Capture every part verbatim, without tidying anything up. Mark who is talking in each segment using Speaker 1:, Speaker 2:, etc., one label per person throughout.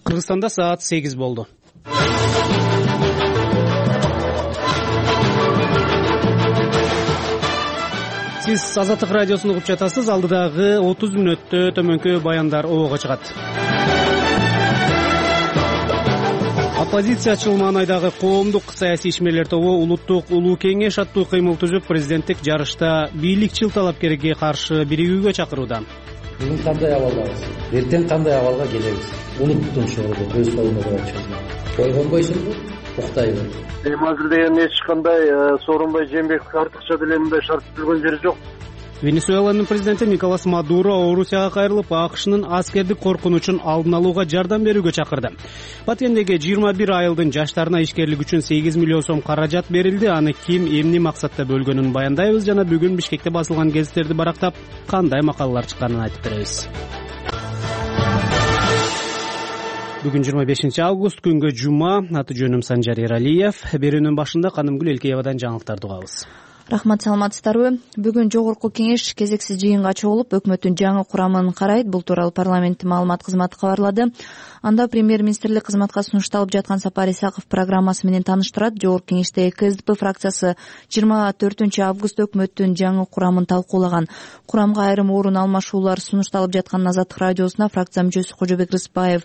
Speaker 1: Кыргызстанда саат сегиз болду. Сиз Азаттык радиосун угуп жатасыз. Алдыдагы отуз мүнөттө төмөнкү баяндар обого чыгат. Оппозициячыл Маанайдагы коомдук саясий ишмерлер тобу улуттук улуу кеңеш аттуу кыймыл түзүп, президенттик жарышта бийликчил талапкерге каршы биригүүгө чакырууда.
Speaker 2: Бүгүн кандай абалдабыз? Эртең кандай абалга келебиз? Улуттун чогулуп өз колуна чыгып койгонбойсузбу? Уктайбы?
Speaker 3: Эми азыр деген эч кандай Сооронбай Жээнбеков артыкча деле мындай шарт түзүлгөн жери жок.
Speaker 1: Венесуэланын президенти Николас Мадуро Орусияга кайрылып, АКШнын аскердик коркунучун алдын алууга жардам берүүгө чакырды. Баткендеги жыйырма бир айылдын жаштарына ишкерлик үчүн сегиз миллион сом каражат берилди. Аны ким, эмне максатта бөлгөнүн баяндайбыз жана бүгүн Бишкекте басылган гезиттерди барактап, кандай макалалар чыкканын айтып беребиз. Бүгүн жыйырма бешинчи август, күнгө жума. Аты жөнүм Санжар Эралиев. Берүүнүн башында Канымгүл Элкеевадан жаңылыктарды угабыз.
Speaker 4: Рахмат, саламатсыздарбы? Бүгүн жогорку кеңеш кезексиз жыйынга чогулуп, өкмөттүн жаңы курамын карайт. Бул тууралуу парламенттин маалымат кызматы кабарлады. Анда премьер-министрлик кызматка сунушталып жаткан Сапар Исаков программасы менен тааныштырат. Жогорку кеңеште КСДП фракциясы жыйырма төртүнчү август өкмөттүн жаңы курамын талкуулаган. Курамга айрым орун алмашуулар сунушталып жатканын Азаттык радиосуна фракция мүчөсү Кожобек Рыспаев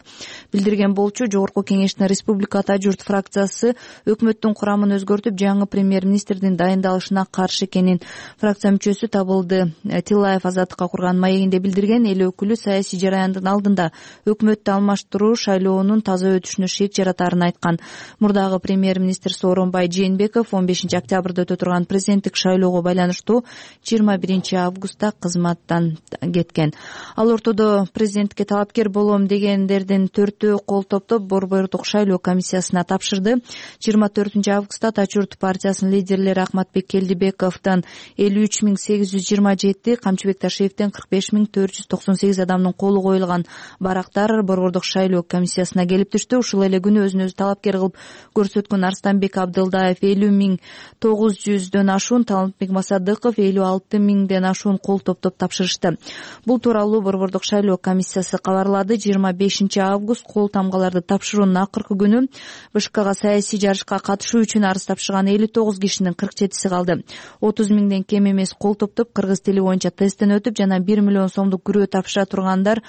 Speaker 4: билдирген болчу. Жогорку кеңештин Республика Ата журт фракциясы өкмөттүн курамын өзгөртүп, жаңы премьер-министрдин дайындалышына каршы экенин фракция мүчөсү Табылды Тилаев Азаттыкка курган маегинде билдирген. Эл өкүлү саясий жараяндын алдында өкмөттү алмаштыруу шайлоонун таза өтүшүнө шек жаратарын айткан. Мурдагы премьер-министр Сооронбай Жээнбеков он бешинчи октябрда өтө турган президенттик шайлоого байланыштуу жыйырма биринчи августта кызматтан кеткен. Ал ортодо президенттикке талапкер болом дегендердин төртөө кол топтоп Борбордук шайлоо комиссиясына тапшырды. жыйырма төртүнчү августта Тачурт партиясынын лидерлери Ахматбек Келдибековдон элүү үч миң сегиз жүз жыйырма жети, Камчыбек Ташиевден кырк беш миң төрт жүз токсон сегиз адамдын колу коюлган барактар Борбордук шайлоо комиссиясына келип түштү. Ушул эле күнү өзүн өзү талапкер кылып көрсөткөн Арстанбек Абдылдаев элүү миң тогуз жүздөн ашуун, Талантбек Масадыков элүү алты миңден ашуун кол топтоп тапшырышты. Бул тууралуу Борбордук шайлоо комиссиясы кабарлады. жыйырма бешинчи август кол тамгаларды тапшыруунун акыркы күнү БШКга саясий жарышка катышуу үчүн арыз тапшырган элүү тогуз кишинин кырк жетиси калды. отуз миңден кем эмес кол топтоп кыргыз тили боюнча тесттен өтүп, жана бир миллион сомдук күрөө тапшыра тургандар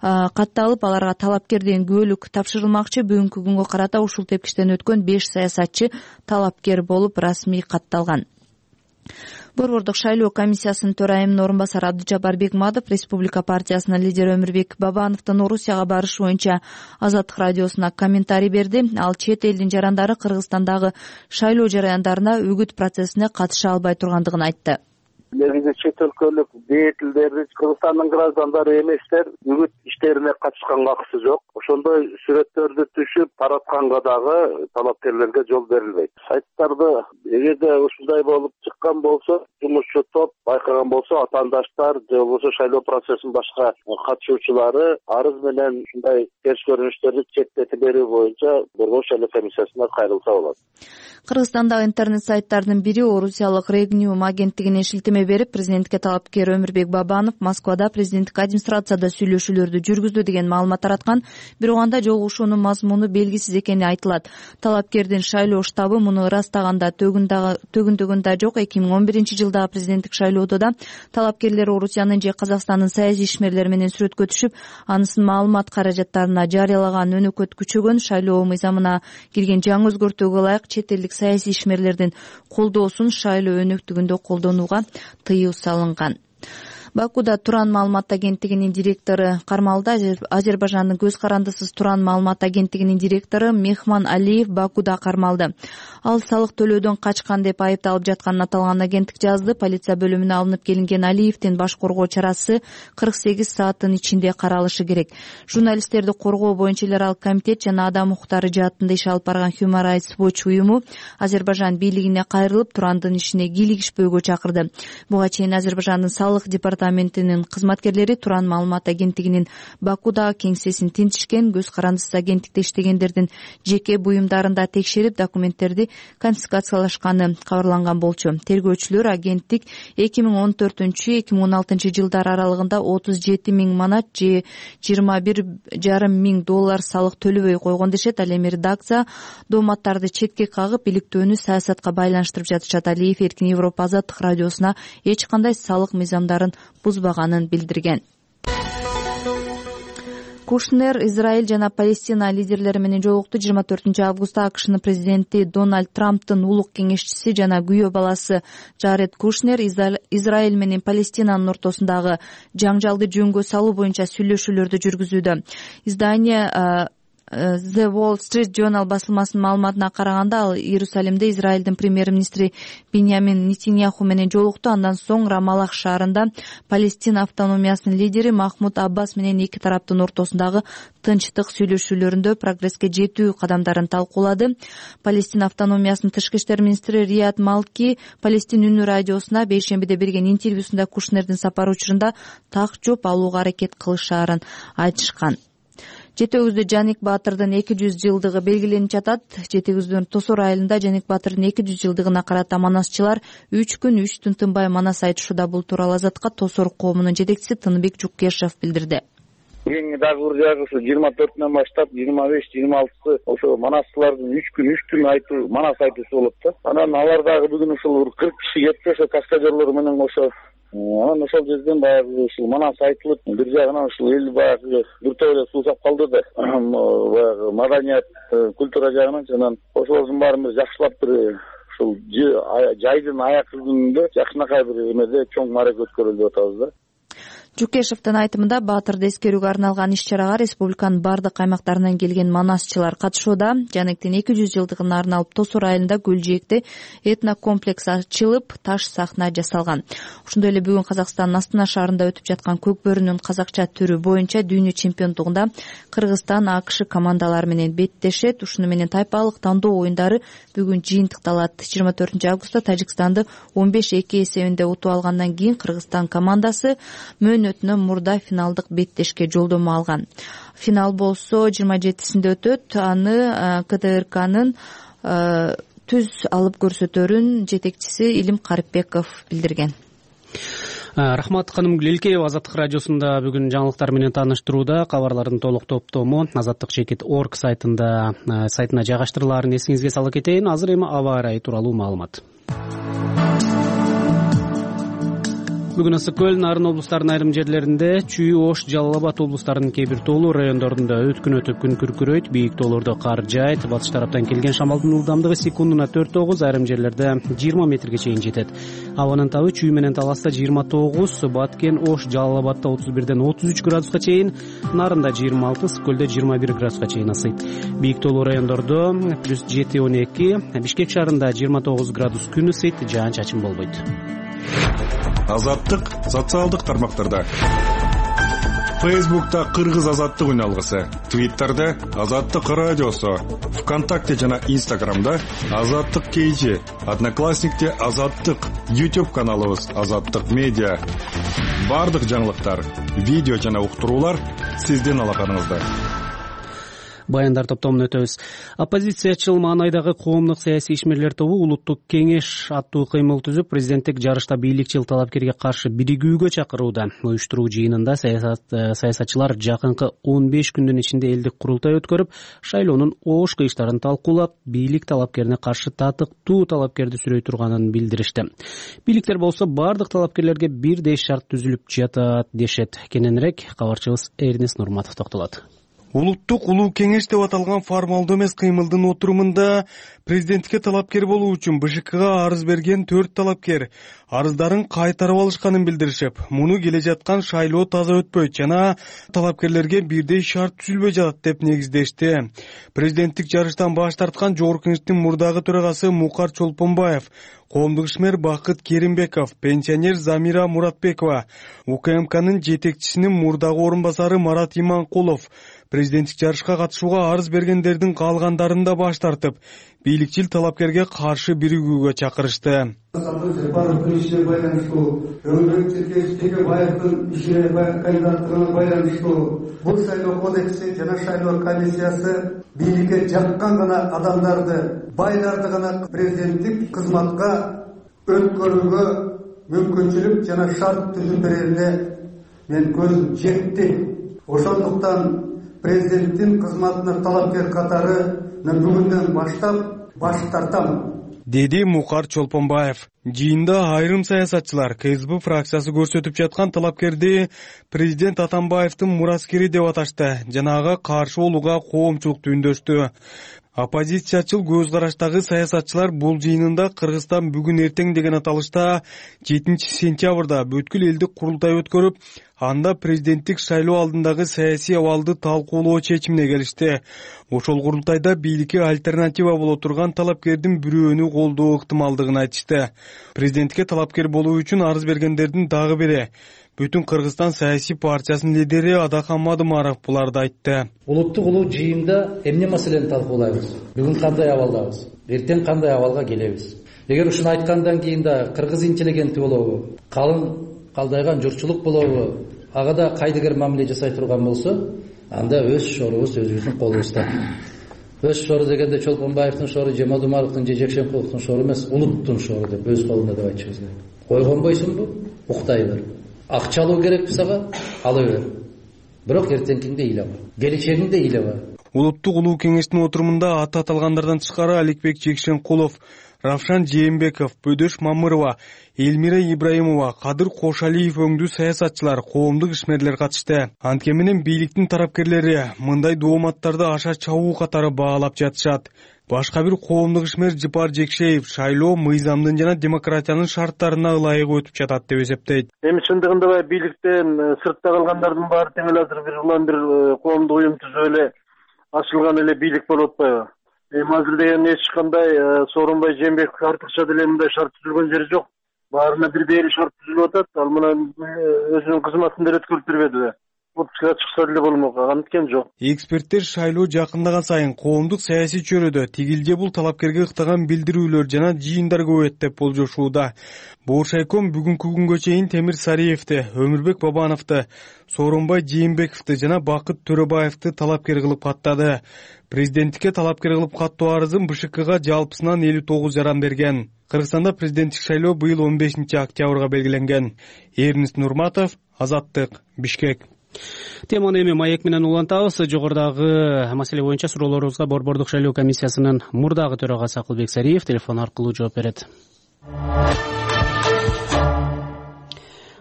Speaker 4: катталып, аларга талапкер деген күбөлүк тапшырылмакчы. Бүгүнкү күнгө карата ушул тепкичтен өткөн беш саясатчы талапкер болуп расмий катталган. Борбордук шайлоо комиссиясынын төрайымынын орун басары Абдыжапар Бекматов Республика партиясынын лидери Өмүрбек Бабановдун Орусияга барышы боюнча Азаттык радиосуна комментарий берди. Ал чет элдин жарандары Кыргызстандагы шайлоо жараяндарына үгүт процессине катыша албай тургандыгын айтты.
Speaker 3: Негизи чет өлкөлүк деятелдер, Кыргызстандын граждандары эместер үгүт иштерине катышканга акысы жок. Ошондой сүрөттөрдү түшүп таратканга дагы талапкерлерге жол берилбейт. Сайттарды эгерде ушундай болуп чыккан болсо, жумушчу топ байкаган болсо, атаандаштар же болбосо шайлоо процессинин башка катышуучулары арыз менен ушундай терс көрүнүштөрдү четтетип берүү боюнча Борбордук шайлоо комиссиясына кайрылса болот.
Speaker 4: Кыргызстандагы интернет сайттардын бири Орусиялык Регниум агенттигине шилтеме берип, президентке талапкер Өмүрбек Бабанов Москвада президенттик администрацияда сүйлөшүүлөрдү жүргүздү деген маалымат тараткан. Бирок анда жолугушуунун мазмуну белгисиз экени айтылат. Талапкердин шайлоо штабы муну ырастаганда төгүндөгүндө жок. эки миң он биринчи жылдагы президенттик шайлоодо да талапкерлер Орусиянын же Казакстандын саясий ишмерлери менен сүрөткө түшүп, анысынын маалымат каражаттарына жарыялаган өнөкөт күчөгөн. Шайлоо мыйзамына кирген жаңы өзгөртүүгө ылайык чет элдик саясий ишмерлердин колдоосун шайлоо өнөктүгүндө колдонууга тыюу салынган. Бакуда Туран маалымат агенттигинин директору кармалды. Азербайжандын көз карандысыз Туран маалымат агенттигинин директору Мехман Алиев Бакуда кармалды. Ал салык төлөөдөн качкан деп айыпталып жатканын аталган агенттик жазды. Полиция бөлүмүнө алынып келинген Алиевдин баш коргоо чарасы кырк сегиз сааттын ичинде каралышы керек. Журналисттерди коргоо боюнча эл аралык комитет жана адам укуктары жаатында иш алып барган Human Rights Watch уюму Азербайжан бийлигине кайрылып, Турандын ишине кийлигишпөөгө чакырды. Буга чейин Азербайжандын салык департаменти департаментинин кызматкерлери Туран маалымат агенттигинин Бакудагы кеңсесин тинтишкен, көз карандысыз агенттикте иштегендердин жеке буюмдарында текшерип, документтерди конфискациялашканы кабарланган болчу. Тергөөчүлөр агенттик эки миң он төртүнчү эки миң он алтынчы жылдар аралыгында отуз жети миң манат же жыйырма бир жарым миң доллар салык төлөбөй койгон дешет. Ал эми редакция дооматтарды четке кагып, иликтөөнү саясатка байланыштырып жатышат. Алиев Эркин Европа Азаттык радиосуна эч кандай салык мыйзамдарын бузбаганын билдирген. Кушнер Израиль жана Палестина лидерлери менен жолукту. жыйырма төртүнчү августта АКШнын президенти Дональд Трамптын улук кеңешчиси жана күйөө баласы Джаред Кушнер Израиль менен Палестинанын ортосундагы жаңжалды жөнгө салуу боюнча сүйлөшүүлөрдү жүргүзүүдө. Издание The Wall Street Journal басылмасынын маалыматына караганда, ал Иерусалимде Израилдин премьер-министри Биньямин Нетаньяху менен жолукту. Андан соң Рамалах шаарында Палестина автономиясынын лидери Махмуд Аббас менен эки тараптын ортосундагы тынчтык сүйлөшүүлөрүндө прогресске жетүү кадамдарын талкуулады. Палестина автономиясынын тышкы иштер министри Рият Малки Палестин үнү радиосуна бейшембиде берген интервьюсунда Кушнердин сапары учурунда так жооп алууга аракет кылышаарын айтышкан. Жетегүздө Жаник Баатырдын эки жүз жылдыгы белгиленип жатат. Жетегүздүн Тосор айылында Жаник Баатырдын эки жүз жылдыгына карата манасчылар үч күн үч түн тынбай манас айтышууда. Бул тууралуу Азатка Тосор коомунун жетекчиси Тыныбек Жуккешев билдирди.
Speaker 5: Эң дагы бир жагысы жыйырма төртүнөн баштап жыйырма беш жыйырма алтысы ошо манасчылардын үч күн үч түн айтуу манас айтуусу болот да. Анан алар дагы бүгүн ушул кырк киши кетти, ошо каскадерлор менен ошо. Анан ошол жерден баягы ушул манас айтылып, бир жагынан ушул эл баягы бир топ эле суусап калды да. Баягы маданият, культура жагынан анан ошолордун баарын бир жакшылап бир ушул жайдын аяк күнүндө жакшынакай бир эмеде чоң мааракет өткөрөлүп деп атабыз да.
Speaker 4: Жукешевдин айтымында Баатырды эскерүүгө арналган иш-чарага республиканын бардык аймактарынан келген манасчылар катышууда. Жанектин эки жүз жылдыгына арналып Тосор айылында Гүлжээкте этнокомплекс ачылып, таш сахна жасалган. Ошондой эле бүгүн Казакстандын Астана шаарында өтүп жаткан көкбөрүнүн казакча түрү боюнча дүйнө чемпиондугунда Кыргызстан АКШ командалары менен беттешет. Ушуну менен тайпалык тандоо оюндары бүгүн жыйынтыкталат. жыйырма төртүнчү августта Тажикстанды он беш эки эсебинде утуп алгандан кийин Кыргызстан командасы мөөнөтүнөн мурда финалдык беттешке жолдомо алган. Финал болсо жыйырма жетисинде өтөт. Аны КТРКнын түз алып көрсөтөрүн жетекчиси Илим Карипбеков билдирген.
Speaker 1: Рахмат ханым Гүлелкеева Азаттык радиосунда бүгүн жаңылыктар менен тааныштырууда. Кабарлардын толук топтому азаттык чекит точка орг сайтында сайтына жайгаштырылаарын эсиңизге сала кетейин. Азыр эми аба ырайы тууралуу маалымат. Бүгүн ысык көл, Нарын облустарынын айрым жерлеринде, Чүй, Ош, Жалал Абад облустарынын кээ бир тоолуу райондорунда өткүн өтүп күн күркүрөйт, бийик тоолордо кар жаайт. Батыш тараптан келген шамалдын ылдамдыгы секундуна төрт тогуз, айрым жерлерде жыйырма метрге чейин жетет. Абанын табы Чүй менен Таласта жыйырма тогуз, Баткен, Ош, Жалал Абадда отуз бирден отуз үч градуска чейин, Нарында жыйырма алты, Ысык көлдө жыйырма бир градуска чейин ысыйт. Бийик тоолуу райондордо плюс жети он эки, Бишкек шаарында жыйырма тогуз градус күн ысыйт, жаан-чачын болбойт.
Speaker 6: Азаттык социалдык тармактарда. Фейсбукта Кыргыз азаттык үн алгысы, Твиттерде Азаттык радиосу, ВКонтакте жана Инстаграмда Азаттык кейжи, Одноклассникте Азаттык, YouTube каналыбыз Азаттык медиа. Бардык жаңылыктар, видео жана уктуруулар сиздин алаканыңызда.
Speaker 1: Баяндар топтомун өтөбүз. Оппозициячыл маанайдагы коомдук саясий ишмерлер тобу улуттук кеңеш аттуу кыймыл түзүп, президенттик жарышта бийликчил талапкерге каршы биригүүгө чакырууда. Уюштуруу жыйынында саясат саясатчылар жакынкы он беш күндүн ичинде элдик курултай өткөрүп, шайлоонун ош кыйыштарын талкуулап, бийлик талапкерине каршы татыктуу талапкерди сүрөй турганын билдиришти. Бийликтер болсо бардык талапкерлерге бирдей шарт түзүлүп жатат дешет. Кененирээк кабарчыбыз Эрнес Нурматов токтолот.
Speaker 7: Улуттук улуу кеңеш деп аталган формалдуу эмес кыймылдын отурумунда президенттикке талапкер болуу үчүн БШКга арыз берген төрт талапкер арыздарын кайтарып алышканын билдиришип, муну келе жаткан шайлоо таза өтпөйт жана талапкерлерге бирдей шарт түзүлбөй жатат деп негиздешти. Президенттик жарыштан баш тарткан жогорку кеңештин мурдагы төрагасы Мукар Чолпонбаев, коомдук ишмер Бакыт Керимбеков, пенсионер Замира Муратбекова, УКМКнын жетекчисинин мурдагы орун басары Марат Иманкулов, президенттик жарышка катышууга арыз бергендердин калгандарын да баш тартып, бийликчил талапкерге каршы биригүүгө чакырышты.
Speaker 8: Барлык ишине байланыштуу, Өмүрбек Текебаевдин ишине кандидаттыгына байланыштуу бул шайлоо кодекси жана шайлоо комиссиясы бийликке жаккан гана адамдарды, байларды гана президенттик кызматка өткөрүүгө мүмкүнчүлүк жана шарт түзүп берерине мен көзүм жетти. Ошондуктан президенттин кызматына талапкер катары бүгүндөн баштап баш тартам,
Speaker 7: деди Мукар Чолпонбаев. Жыйында айрым саясатчылар КСБ фракциясы көрсөтүп жаткан талапкерди президент Атамбаевдин мураскери деп аташты жана ага каршы болууга коомчулукту үндөштү. Оппозициячыл көз караштагы саясатчылар бул жыйынында Кыргызстан бүгүн эртең деген аталышта жетинчи сентябрда бүткүл элдик курултай өткөрүп, анда президенттик шайлоо алдындагы саясий абалды талкуулоо чечимине келишти. Ошол курултайда бийликке альтернатива боло турган талапкердин бирөөнү колдоо ыктымалдыгын айтышты. Президентке талапкер болуу үчүн арыз бергендердин дагы бири Бүтүн Кыргызстан саясий партиясынын лидери Адахан Мадымаров буларды айтты.
Speaker 2: Улуттук улуу жыйында эмне маселени талкуулайбыз? Бүгүн кандай абалдабыз? Эртең кандай абалга келебиз? Эгер ушуну айткандан кийин да кыргыз интеллигенти болобу, калың калдайган журтчулук болобу, ага да кайдыгер мамиле жасай турган болсо, анда өз шорубуз өзүбүздүн колубузда. Өз шору дегенде Чолпонбаевдин шору, же Мадымаровдун, же Жекшенкуловдун шору эмес, улуттун шору деп өз колунда деп айтышыбыз керек. Койгонбойсуңбу? Уктай бер. Акча алуу керекпи сага? Ала бер. Бирок эртеңкиңде ыйлаба. Келечегиңде ыйлаба.
Speaker 7: Улуттук улуу кеңештин отурумунда аты аталгандардан тышкары Аликбек Жекшенкулов, Равшан Жээнбеков, Бөдөш Мамырова, Элмира Ибраимова, Кадыр Кошалиев өңдүү саясатчылар, коомдук ишмерлер катышты. Антке менен бийликтин тарапкерлери мындай дооматтарды аша чабуу катары баалап жатышат. Башка бир коомдук ишмер Жыпар Жекшеев шайлоо мыйзамдын жана демократиянын шарттарына ылайык өтүп жатат деп эсептейт.
Speaker 3: Эми чындыгында баягы бийликтен сыртта калгандардын баары тең эле азыр бир улам бир коомдук уюм түзүп эле ачылган эле бийлик болуп атпайбы? Эми азыр деген эч кандай Сооронбай Жээнбеков артыкча деле мындай шарт түзүлгөн жери жок. Баарына бирдей эле шарт түзүлүп атат. Ал мына өзүнүн кызматын деле өткөрүп бербеди. Отпускага чыкса деле болмок, анткен жок.
Speaker 7: Эксперттер шайлоо жакындаган сайын коомдук саясий чөйрөдө тигил же бул талапкерге ыктаган билдирүүлөр жана жыйындар көбөйөт деп болжошууда. Бооршайком бүгүнкү күнгө чейин Темир Сариевди, Өмүрбек Бабановду, Сооронбай Жээнбековду жана Бакыт Төрөбаевди талапкер кылып каттады. Президенттикке талапкер кылып каттоо арызын БШКга жалпысынан элүү тогуз жаран берген. Кыргызстанда президенттик шайлоо быйыл он бешинчи октябрга белгиленген. Эрнест Нурматов, Азаттык, Бишкек.
Speaker 1: Теманы эми маек менен улантабыз. Жогорудагы маселе боюнча суроолорубузга Борбордук шайлоо комиссиясынын мурдагы төрагасы Акылбек Сариев телефон аркылуу жооп берет.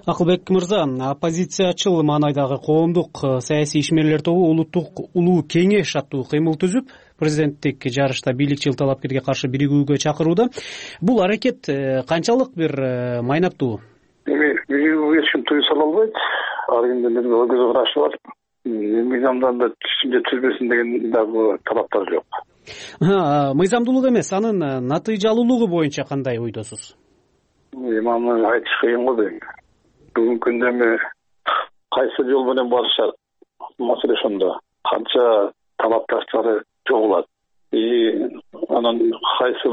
Speaker 1: Акылбек мырза, оппозициячыл маанайдагы коомдук саясий ишмерлер тобу улуттук улуу кеңеш аттуу кыймыл түзүп, президенттик жарышта бийликчил талапкерге каршы биригүүгө чакырууда. Бул аракет канчалык бир майнаптуу?
Speaker 5: Эми биригүүгө эч ким тыюу сала албайт. Ар кимдин бир көз карашы бар. Мыйзамдан да түшсүн же түзбөсүн деген дагы талаптар жок.
Speaker 1: Мыйзамдуулук эмес, анын натыйжалуулугу боюнча кандай ойдосуз?
Speaker 5: Эми аны айтыш кыйын го дейм. Бүгүнкү күндө эми кайсы жол менен барышат маселе ошондо. Канча талапташтары жогулат. И анан кайсы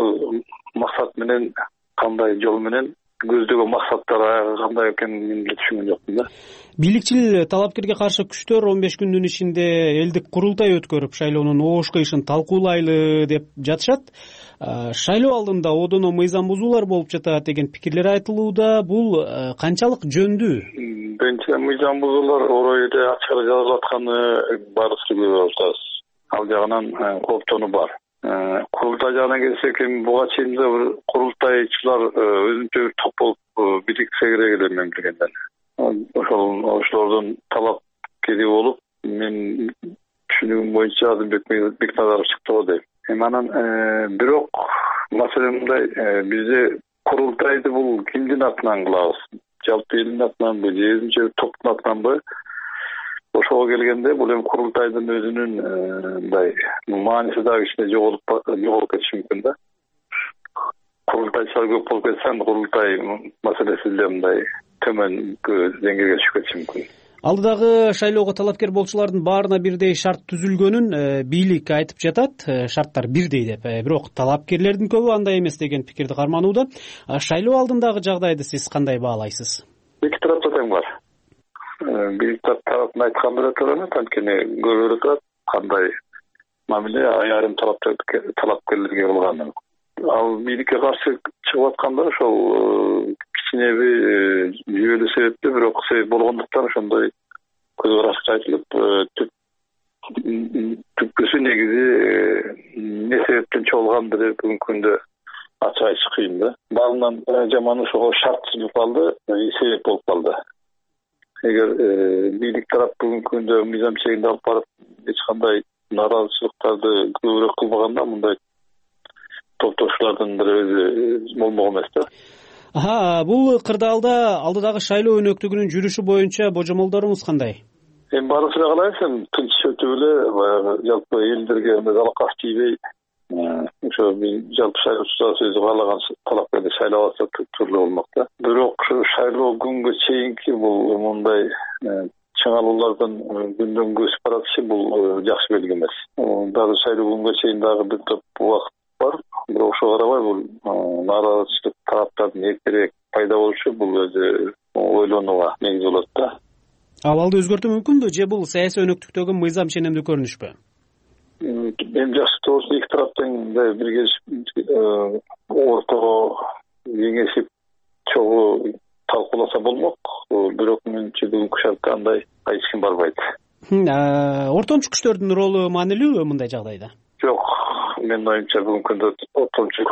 Speaker 5: максат менен, кандай жол менен көздөгөн максаттары кандай экенин мен деле түшүнгөн жокмун да.
Speaker 1: Бийликчил талапкерге каршы күчтөр он беш күндүн ичинде элдик курултай өткөрүп, шайлоонун оош кыйышын талкуулайлы деп жатышат. Шайлоо алдында одоно мыйзам бузуулар болуп жатат деген пикирлер айтылууда. Бул канчалык жөндүү?
Speaker 5: Биринчи мыйзам бузуулар орой эле ачык жазылып атканы баарыбыз көрүп атабыз. Ал жагынан кооптонуу бар. Курултай жагына келсек, эми буга чейин да бир курултайчылар өзүнчө бир топ болуп бириксе керек эле мен билгенден. Ошол ошолордун талапкери болуп, мен түшүнүгүм боюнча Азымбек Бекназаров чыкты го дейм. Эми анан бирок маселе мындай, бизде курултайды бул кимдин атынан кылабыз? Жалпы элдин атынанбы, же өзүнчө топтун атынанбы? Ошого келгенде бул эми курултайдын өзүнүн мындай мааниси дагы кичине жоголуп жоголуп кетиши мүмкүн да. Курултайчылар көп болуп кетсе, курултай маселеси деле мындай төмөн деңгээлге түшүп кетиши мүмкүн.
Speaker 1: Алдыдагы шайлоого талапкер болчулардын баарына бирдей шарт түзүлгөнүн бийлик айтып жатат, шарттар бирдей деп. Бирок талапкерлердин көбү андай эмес деген пикирди карманууда. Шайлоо алдындагы жагдайды сиз кандай баалайсыз?
Speaker 5: Эки тарапта тең бар. Бийлик тарабын айткан бирөө эмес, анткени көрүлүп турат кандай мамиле айрым талапкерлерге кылганын. Ал бийликке каршы чыгып атканда ошол кичинеби жүйөлүү себепти, бирок себеп болгондуктан ошондой көз карашка айтылып, түпкүсү негизи эмне себептен чогулгандыгы бүгүнкү күндө ачык айтыш кыйын да. Баарынан жаман ошого шарт түзүлүп калды, себеп болуп калды. Эгер бийлик тарап бүгүнкү күндө мыйзам чегинде алып барып эч кандай нааразычылыктарды көбүрөөк кылбаганда, мындай топтошуулардын бир өзү болмок эмес да.
Speaker 1: Аха, бул кырдаалда алдыдагы шайлоо өнөктүгүнүн жүрүшү боюнча божомолдоруңуз кандай?
Speaker 5: Эми баардыгы эле калайбыз, эми тынч өтүп эле баягы жалпы элдерге залакаш тийбей, ошо жалпы шайлоочу өзү каалаган талапкерди шайлап алса туруктуу болмок да. Бирок ушу шайлоо күнгө чейинки бул мындай чыңалуулардын күндөн көчүп баратышы бул жакшы белги эмес. Дагы шайлоо күнгө чейин дагы бир топ убакыт бар. Бирок ошого карабай бул нааразычылык тараптардын эртерээк пайда болушу бул өзү ойлонууга негиз болот да.
Speaker 1: Абалды өзгөртүү мүмкүнбү же бул саясий өнөктүктөгү мыйзам ченемдүү көрүнүшпү?
Speaker 5: Эми жакшы болсо эки тарап тең биргелишип ортого кеңешип чогуу талкууласа болмок. Бирок менимче бүгүнкү шартта андай эч ким барбайт.
Speaker 1: Ортомчу күчтөрдүн ролу маанилүүбү мындай жагдайда?
Speaker 5: Жок, менин оюмча бүгүнкү күндө ортомчу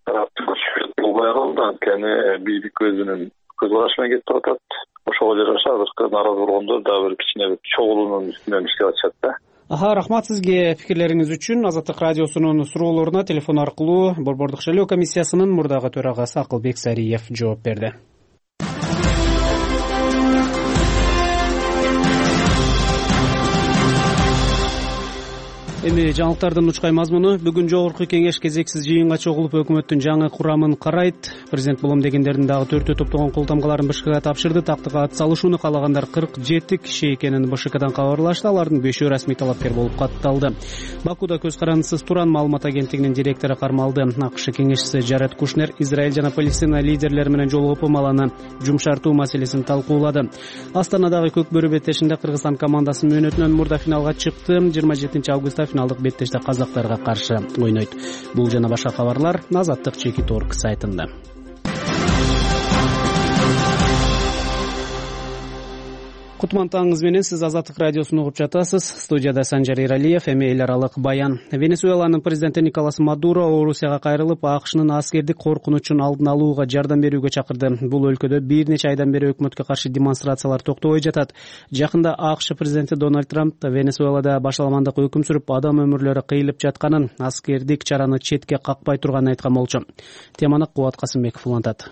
Speaker 5: тараптын күчү болбой калды, анткени бийлик өзүнүн көз карашы менен кетип атат. Ошого жараша азыркы нааразы болгондор дагы бир кичине чогулуунун үстүнөн иштеп атышат да.
Speaker 1: Аха, рахмат сизге пикирлериңиз үчүн. Азаттык радиосунун суроолоруна телефон аркылуу Борбордук шайлоо комиссиясынын мурдагы төрагасы Акылбек Сариев жооп берди. Эми жаңылыктардын учкай мазмуну. Бүгүн жогорку кеңеш кезексиз жыйынга чогулуп өкмөттүн жаңы курамын карайт. Президент булам дегендердин дагы төртөө топтогон кол тамгаларын БШКга тапшырды. Тактыга ат салышууну каалагандар кырк жети киши экенин БШКдан кабарлашты. Алардын бешөө расмий талапкер болуп катталды. Бакуда көз карандысыз туран маалымат агенттигинин директору кармалды. АКШ кеңешчиси Жаред Кушнер Израиль жана Палестина лидерлери менен жолугуп маланы жумшартуу маселесин талкуулады. Астанадагы көк бөрү беттешинде Кыргызстан командасынын мөөнөтүнөн мурда финалга чыкты. жыйырма жетинчи августта финалдык беттеште казактарга каршы ойнойт. Бул жана башка кабарлар Азаттык чекит точка орг сайтында. Кутман таңыңыз менен, сиз Азаттык радиосун угуп жатасыз. Студияда Санжар Иралиев. Эми эл аралык баян. Венесуэланын президенти Николас Мадуро Орусияга кайрылып, АКШнын аскердик коркунучун алдын алууга жардам берүүгө чакырды. Бул өлкөдө бир нече айдан бери өкмөткө каршы демонстрациялар токтобой жатат. Жакында АКШ президенти Дональд Трамп Венесуэлада башаламандык өкүм сүрүп, адам өмүрлөрү кыйылып жатканын, аскердик чараны четке какпай турганын айткан болчу. Теманы Кубат Касымбеков улантат.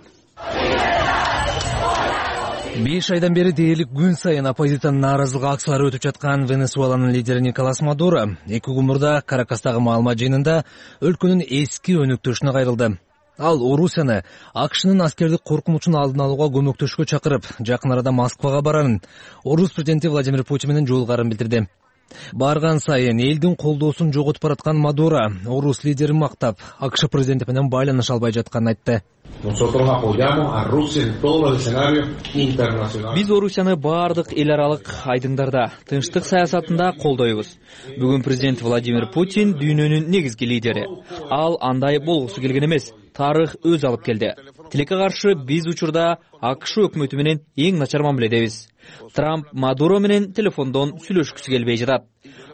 Speaker 9: беш айдан бери дээрлик күн сайын оппозициянын нааразылык акциялары өтүп жаткан Венесуэланын лидери Николас Мадуро эки күн мурда Каракастагы маалымат жыйынында өлкөнүн эски өнөктөшүнө кайрылды. Ал Орусияны АКШнын аскердик коркунучун алдын алууга көмөктөшкө чакырып, жакын арада Москвага барарын, Орус президенти Владимир Путин менен жолугарын билдирди. Барган сайын элдин колдоосун жоготуп бараткан Мадуро Орус лидерин мактап, АКШ президенти менен байланыша албай жатканын айтты.
Speaker 10: Биз Орусияны баардык эл аралык айдыңдарда, тынчтык саясатында колдойбуз. Бүгүн президент Владимир Путин дүйнөнүн негизги лидери. Ал андай болгусу келген эмес. Тарых өз алып келди. Тилекке каршы биз учурда АКШ өкмөтү менен эң начар мамиледебиз. Трамп Мадуро менен телефондон сүйлөшкүсү келбей жатат.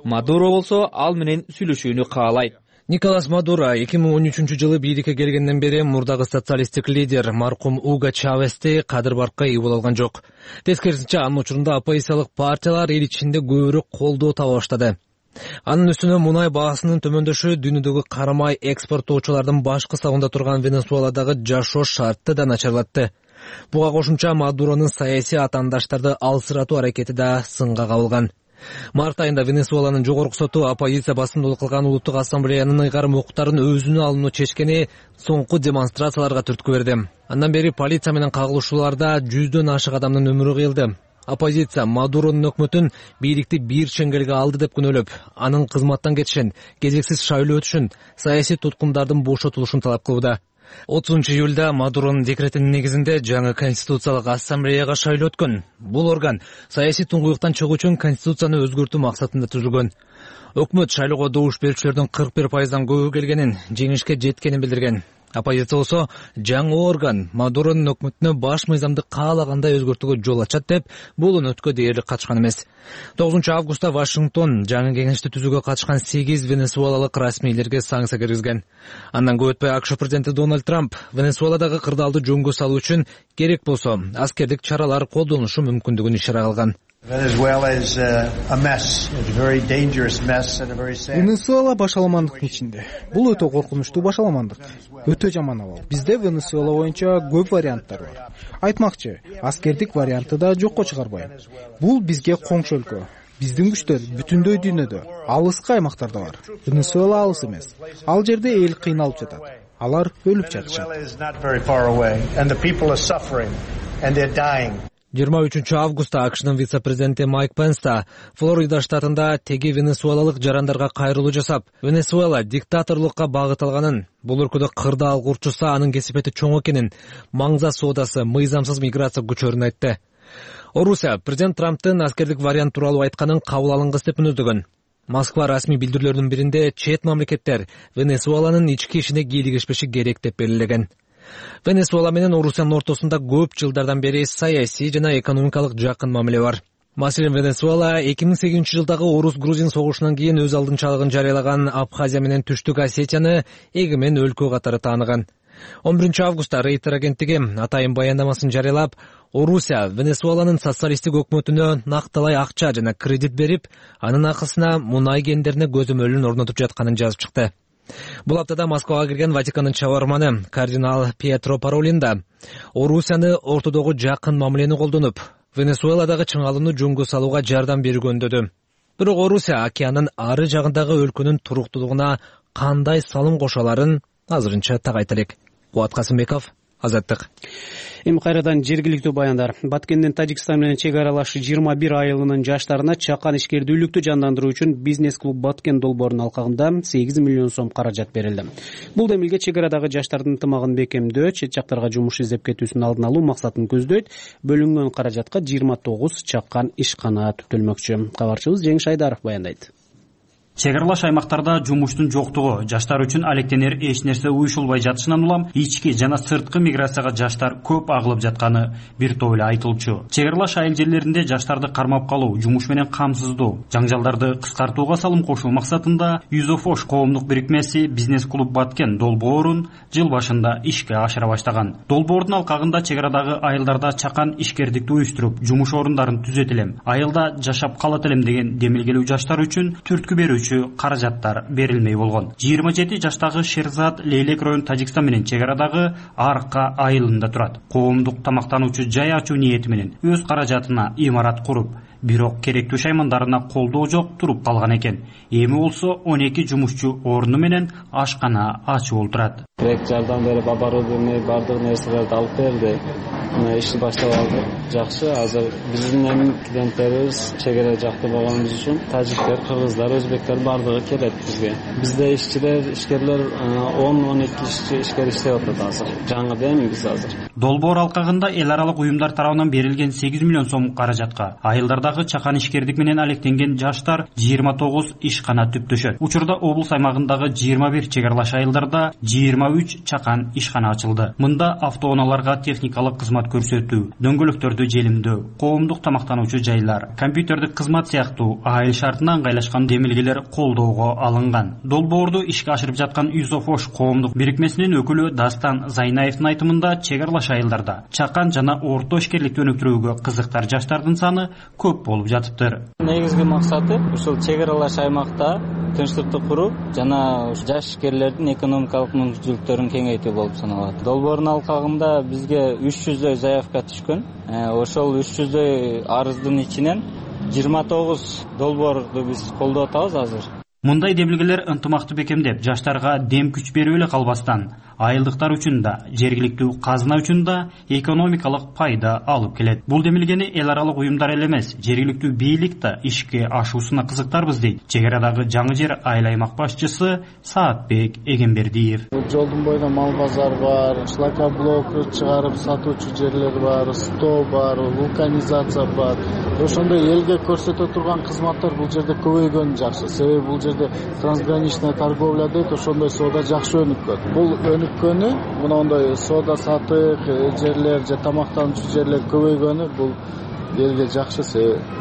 Speaker 10: Мадуро болсо ал менен сүйлөшүүнү каалайт.
Speaker 9: Николас Мадуро эки миң он үчүнчү жылы бийликке келгенден бери мурдагы социалисттик лидер маркум Уго Чавести кадыр баркка ээ боло алган жок. Тескерисинче анын учурунда оппозициялык партиялар эл ичинде көбүрөөк колдоо таба баштады. Анын үстүнө мунай баасынын төмөндөшү дүйнөдөгү карамай экспорттоочулардын баш кысабында турган Венесуэладагы жашоо шартты да начарлатты. Буга кошумча Мадуронун саясий атаандаштарды алсыратуу аракети да сынга кабылган. Март айында Венесуэланын жогорку соту оппозиция басымдуулук кылган улуттук ассамблеянын ыйгарым укуктарын өзүнө алууну чечкени соңку демонстрацияларга түрткү берди. Андан бери полиция менен кагылышууларда жүздөн ашык адамдын өмүрү кыйылды. Оппозиция Мадуронун өкмөтүн бийликти бир чеңгелге алды деп күнөөлөп, анын кызматтан кетишин, кезексиз шайлоо өтүшүн, саясий туткундардын бошотулушун талап кылууда. отузунчу июлда Мадуронун декретинин негизинде жаңы конституциялык ассамблеяга шайлоо өткөн. Бул орган саясий туңгуюктан чыгуу үчүн конституцияны өзгөртүү максатында түзүлгөн. Өкмөт шайлоого добуш берүүчүлөрдүн кырк бир пайыздан көбү келгенин, жеңишке жеткенин билдирген. Оппозиция болсо жаңы орган Мадуронун өкмөтүнө баш мыйзамды каалагандай өзгөртүүгө жол ачат деп, бул өнөткө дээрлик катышкан эмес. тогузунчу августта Вашингтон жаңы кеңешти түзүүгө катышкан сегиз венесуэлалык расмийлерге санкция киргизген. Андан көп өтпөй АКШ президенти Дональд Трамп Венесуэладагы кырдаалды жөнгө салуу үчүн керек болсо аскердик чаралар колдонушу мүмкүндүгүн ишара кылган.
Speaker 11: Венесуэла башаламандыктын ичинде. Бул өтө коркунучтуу башаламандык. Өтө жаман абал. Бизде Венесуэла боюнча көп варианттар бар. Айтмакчы, аскердик варианты да жокко чыгарбайм. Бул бизге коңшу өлкө. Биздин күчтөр бүтүндөй дүйнөдө, алыскы аймактарда бар. Венесуэла алыс эмес. Ал жерде эл кыйналып жатат. Алар өлүп жатышат.
Speaker 9: жыйырма үчүнчү августта АКШнын вице-президенти Майк Пенс да Флорида штатында теги венесуэлалык жарандарга кайрылуу жасап, Венесуэла диктаторлукка багыт алганын, бул өлкөдө кырдаал курчуса анын кесипети чоң экенин, маңза соодасы, мыйзамсыз миграция күчөрүн айтты. Орусия президент Трамптын аскердик вариант тууралуу айтканын кабыл алынгыс деп мүнөздөгөн. Москва расмий билдирүүлөрүнүн биринде чет мамлекеттер Венесуэланын ички ишине кийлигишпеши керек деп белгилеген. Венесуэла менен Орусиянын ортосунда көп жылдардан бери саясий жана экономикалык жакын мамиле бар. Маселен, Венесуэла эки миң сегизинчи жылдагы орус-грузин согушунан кийин өз алдынчалыгын жарыялаган Абхазия менен Түштүк Осетияны эгемен өлкө катары тааныган. он биринчи августта Рейтер агенттиги атайын баяндамасын жарыялап, Орусия Венесуэланын социалисттик өкмөтүнө накталай акча жана кредит берип, анын акысына мунай кендерине көзөмөлүн орнотуп жатканын жазып чыкты. Бул аптада Москвага кирген Ватикандын чабарманы кардинал Пьетро Паролин да Орусияны ортодогу жакын мамилени колдонуп, Венесуэладагы чыңалууну жөнгө салууга жардам берүүгө үндөдү. Бирок Орусия океандын ары жагындагы өлкөнүн туруктуулугуна кандай салым кошо аларын азырынча так айта элек. Кубат Касымбеков, Азаттык.
Speaker 1: Эми кайрадан жергиликтүү баяндар. Баткендин Тажикстан менен чек аралаш жыйырма бир айылынын жаштарына чакан ишкердүүлүктү жандандыруу үчүн бизнес-клуб Баткен долбоорунун алкагында сегиз миллион сом каражат берилди. Бул демилге чек арадагы жаштардын ынтымагын бекемдөө, чет жактарга жумуш издеп кетүүсүн алдын алуу максатын көздөйт. Бөлүнгөн каражатка жыйырма тогуз чакан ишкана түптөлмөкчү. Кабарчыбыз Жеңиш Айдаров баяндайт.
Speaker 12: Чек аралаш аймактарда жумуштун жоктугу жаштар үчүн алектенер эч нерсе уюшулбай жатышынан улам ички жана сырткы миграцияга жаштар көп агылып жатканы бир топ эле айтылчу. Чек аралаш айыл жерлеринде жаштарды кармап калуу, жумуш менен камсыздоо, жаңжалдарды кыскартууга салым кошуу максатында Юзофош коомдук бирикмеси бизнес-клуб Баткен долбоорун жыл башында ишке ашыра баштаган. Долбоордун алкагында чек арадагы айылдарда чакан ишкердикти уюштуруп, жумуш орундарын түзөт элем, айылда жашап калат элем деген демилгелүү жаштар үчүн түрткү берүү каражаттар берилмей болгон. жыйырма жети жаштагы Шерзат Лейлек район Тажикстан менен чек арадагы Арка айылында турат. Коомдук тамактануучу жай ачуу ниети менен өз каражатына имарат куруп, бирок керектүү шаймандарына колдоо жок туруп калган экен. Эми болсо он эки жумушчу орну менен ашкана ачып олтурат.
Speaker 13: Керек жардам берип, оборудование бардык нерселерди алып берди. Мына ишти баштап алдык. Жакшы, азыр биздин эми клиенттерибиз чек ара жакта болгонубуз үчүн тажиктер, кыргыздар, өзбектер бардыгы келет бизге. Бизде ишчилер, ишкерлер он он эки ишчи ишкер иштеп атат азыр. Жаңы эми биз азыр.
Speaker 12: Долбоор алкагында эл аралык уюмдар тарабынан берилген сегиз миллион сом каражатка айылдардагы чакан ишкердик менен алектенген жаштар жыйырма тогуз ишкана түптөшөт. Учурда облус аймагындагы жыйырма бир чек аралаш айылдарда жыйырма үч чакан ишкана ачылды. Мында автоунааларга техникалык кызмат көрсөтүү, дөңгөлөктөрдү желимдөө, коомдук тамактануучу жайлар, компьютердик кызмат сыяктуу айыл шартына ыңгайлашкан демилгелер колдоого алынган. Долбоорду ишке ашырып жаткан Юзофош коомдук бирикмесинин өкүлү Дастан Зайнаевдин айтымында чек аралаш айылдарда чакан жана орто ишкерликти өнүктүрүүгө кызыктар жаштардын саны көп болуп жатыптыр.
Speaker 13: Негизги максаты ушул чек аралаш аймакта тынчтыкты куруп жана жаш ишкерлердин экономикалык мүмкүнчүлүктөрүн кеңейтүү болуп саналат. Долбоордун алкагында бизге үч жүздөй заявка түшкөн. Ошол үч жүздөй арыздын ичинен жыйырма тогуз долбоорду биз колдоп атабыз азыр.
Speaker 12: Мындай демилгелер ынтымакты бекемдеп, жаштарга дем күч берип эле калбастан, айылдыктар үчүн да, жергиликтүү казына үчүн да экономикалык пайда алып келет. Бул демилгени эл аралык уюмдар эле эмес, жергиликтүү бийлик да ишке ашуусуна кызыктарбыз дейт чек арадагы Жаңы Жер айыл аймак башчысы Саатбек Эгембердиев.
Speaker 13: Жолдун боюнда мал базар бар, шлакоблок чыгарып сатуучу жерлер бар, сто бар, вулканизация бар. Ошондой элге көрсөтө турган кызматтар бул жерде көбөйгөнү жакшы. Себеби бул жерде трансграничная торговля дейт, ошондой соода жакшы өнүккөн. Бул өнүккөнү, мындай соода сатык жерлер же тамактануучу жерлер көбөйгөнү бул элге жакшы.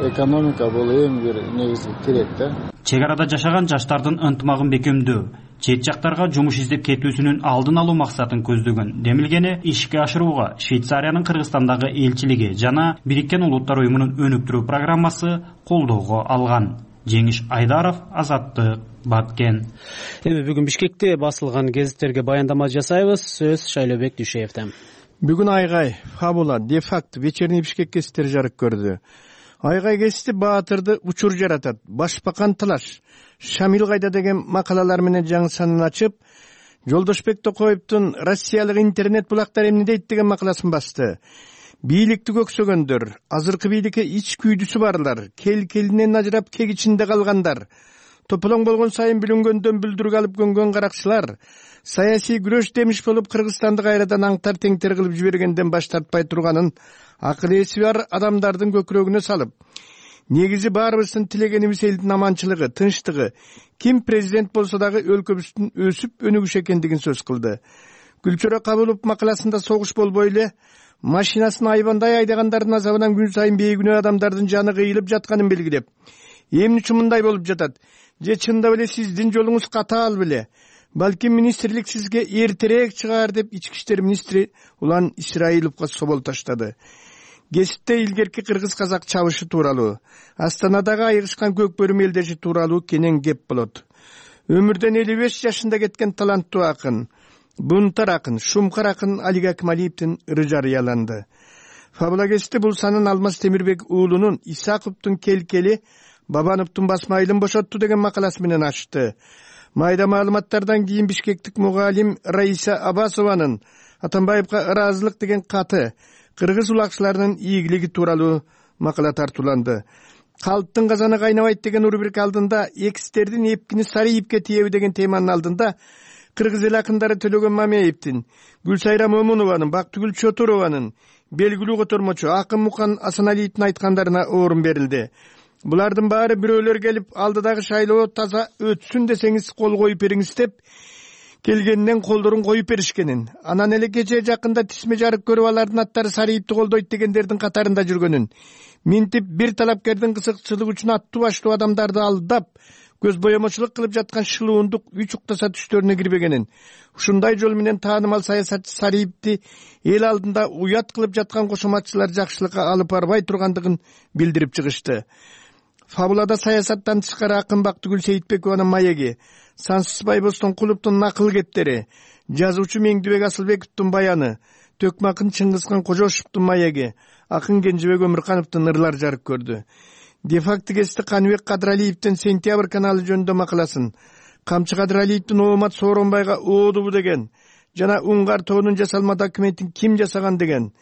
Speaker 13: Экономика бул эң бир негизги тирек да.
Speaker 12: Чек арада жашаган жаштардын ынтымагын бекемдөө, чет жактарга жумуш издеп кетүүсүнүн алдын алуу максатын көздөгөн демилгени ишке ашырууга Швейцариянын Кыргызстандагы элчилиги жана Бириккен Улуттар уюмунун өнүктүрүү программасы колдоого алган. Жеңиш Айдаров, Азаттык, Баткен.
Speaker 1: Эми бүгүн Бишкекте басылган гезиттерге баяндама жасайбыз. Сөз Шайлообек Дүйшеевден.
Speaker 14: Бүгүн Айгай, Фабула, Дефакт, Вечерний Бишкек гезиттери жарык көрдү. Айгай гезити баатырды учур жаратат. Башбакан Талаш, Шамил кайда деген макалалар менен жаңы санын ачып, Жолдошбек Токоевдун Россиялык интернет булактар эмне дейт деген макаласын басты. Бийликти көксөгөндөр, азыркы бийликке ич күйдүсү барлар, кел-келинен ажырап кек ичинде калгандар, тополоң болгон сайын бүлүнгөндөн бүлдүргө алып көнгөн каракчылар, саясий күрөш демиш болуп Кыргызстанды кайрадан аңтар теңтер кылып жибергенден баш тартпай турганын акыл эси бар адамдардын көкүрөгүнө салып, негизи баарыбыздын тилегенибиз элдин аманчылыгы, тынчтыгы, ким президент болсо дагы өлкөбүздүн өсүп өнүгүш экендигин сөз кылды. Гүлчөрө Кабылов макаласында согуш болбой эле машинасын айбандай айдагандардын азабынан күн сайын бейгүнөө адамдардын жаны кыйылып жатканын белгилеп, эмне үчүн мындай болуп жатат? Же чындап эле сиздин жолуңуз катаал беле? Балким министрлик сизге эртерээк чыгаар деп ички иштер министри Улан Исраиловго собол таштады. Гезитте илгерки кыргыз-казак чабышы тууралуу, Астанадагы айыгышкан көк бөрү мелдеши тууралуу кенен кеп болот. Өмүрдөн элүү беш жашында кеткен таланттуу акын, бунтар акын, шумкар акын Алик Акмалиевдин ыры жарыяланды. Фабула гезити бул санын Алмаз Темирбек уулунун Исаковдун келкели Бабановдун басма айылын бошотту деген макаласы менен ачты. Майда маалыматтардан кийин бишкектик мугалим Раиса Абасованын Атамбаевга ыраазылык деген каты кыргыз улакчыларынын ийгилиги тууралуу макала тартууланды. Калыптын казаны кайнабайт деген рубрика алдында экстердин эпкини Сариевке тиеби деген теманын алдында кыргыз эл акындары Төлөгөн Мамеевдин, Гүлсайра Момунованын, Бактыгүл Чотурованын, белгилүү котормочу Акын Мукан Асаналиевдин айткандарына орун берилди. Булардын баары бирөөлөр келип, алдыдагы шайлоо таза өтсүн десеңиз кол коюп бериңиз деп келгенинен колдорун коюп беришкенин, анан эле кечээ жакында тисме жарык көрүп алардын аттары Сариевди колдойт дегендердин катарында жүргөнүн, минтип бир талапкердин кызыкчылыгы үчүн аттуу баштуу адамдарды алдап, көз боемочулук кылып жаткан шылуундук үч уктаса түштөрүнө кирбегенин, ушундай жол менен таанымал саясатчы Сариевди эл алдында уят кылып жаткан кошоматчылар жакшылыкка алып барбай тургандыгын билдирип чыгышты. Фабулада саясаттан тышкары акын Бактыгүл Сейитбекованын маеги, Сансыз Байбостон Кулуптун накыл кептери, жазуучу Меңдибек Асылбековдун баяны, Төкмакын Чыңгызхан Кожошовдун маеги, акын Кенжебек Өмүркановдун ырлар жарык көрдү. Дефакт гезити Каныбек Кадыралиевдин Сентябрь каналы жөнүндө макаласын, Камчы Кадыралиевдин Оомат Сооронбайга оодубу деген жана Уңгар тоонун жасалма документин ким жасаган деген,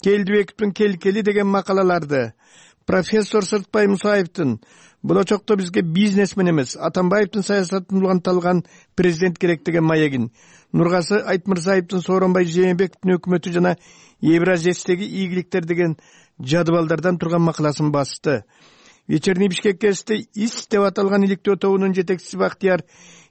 Speaker 14: Келдибековдун келкели деген макалаларды, профессор Сыртбай Мусаевдин болочокто бизге бизнесмен эмес, Атамбаевдин саясатын уланталган президент керек деген маегин, Нургасы Айтмырзаевдин Сооронбай Жээнбековдун өкмөтү жана Евразиядеги ийгиликтер деген жадыбалдардан турган макаласын басты. Вечерний Бишкек гезити ИС деп аталган иликтөө тобунун жетекчиси Бактияр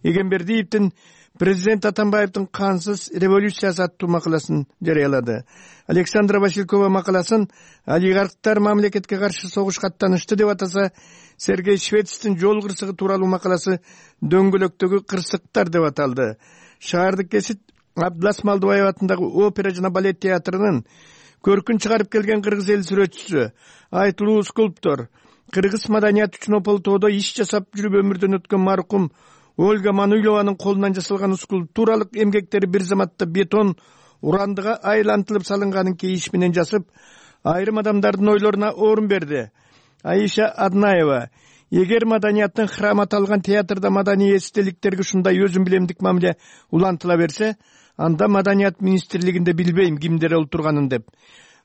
Speaker 14: Эгембердиевдин президент Атамбаевдин кансыз революциясы аттуу макаласын жарыялады. Александра Василькова макаласын олигархтар мамлекетке каршы согушка аттанышты деп атаса, Сергей Швецтин жол кырсыгы тууралуу макаласы дөңгөлөктөгү кырсыктар деп аталды. Шаардык гезит Абдылас Малдыбаев атындагы опера жана балет театрынын көркүн чыгарып келген кыргыз эл сүрөтчүсү, айтылуу скульптор, кыргыз маданият үчүн Ополтоодо иш жасап жүрүп өмүрдөн өткөн маркум Ольга Мануйлованын колунан жасалган скульптуралык эмгектери бир заматта бетон урандыга айлантылып салынганын кейиш менен жасып, айрым адамдардын ойлоруна орун берди. Аиша Аднаева эгер маданияттын храмы аталган театрда маданий эстеликтерге ушундай өзүм билемдик мамиле улантыла берсе, анда маданият министрлигинде билбейм кимдер олтурганын деп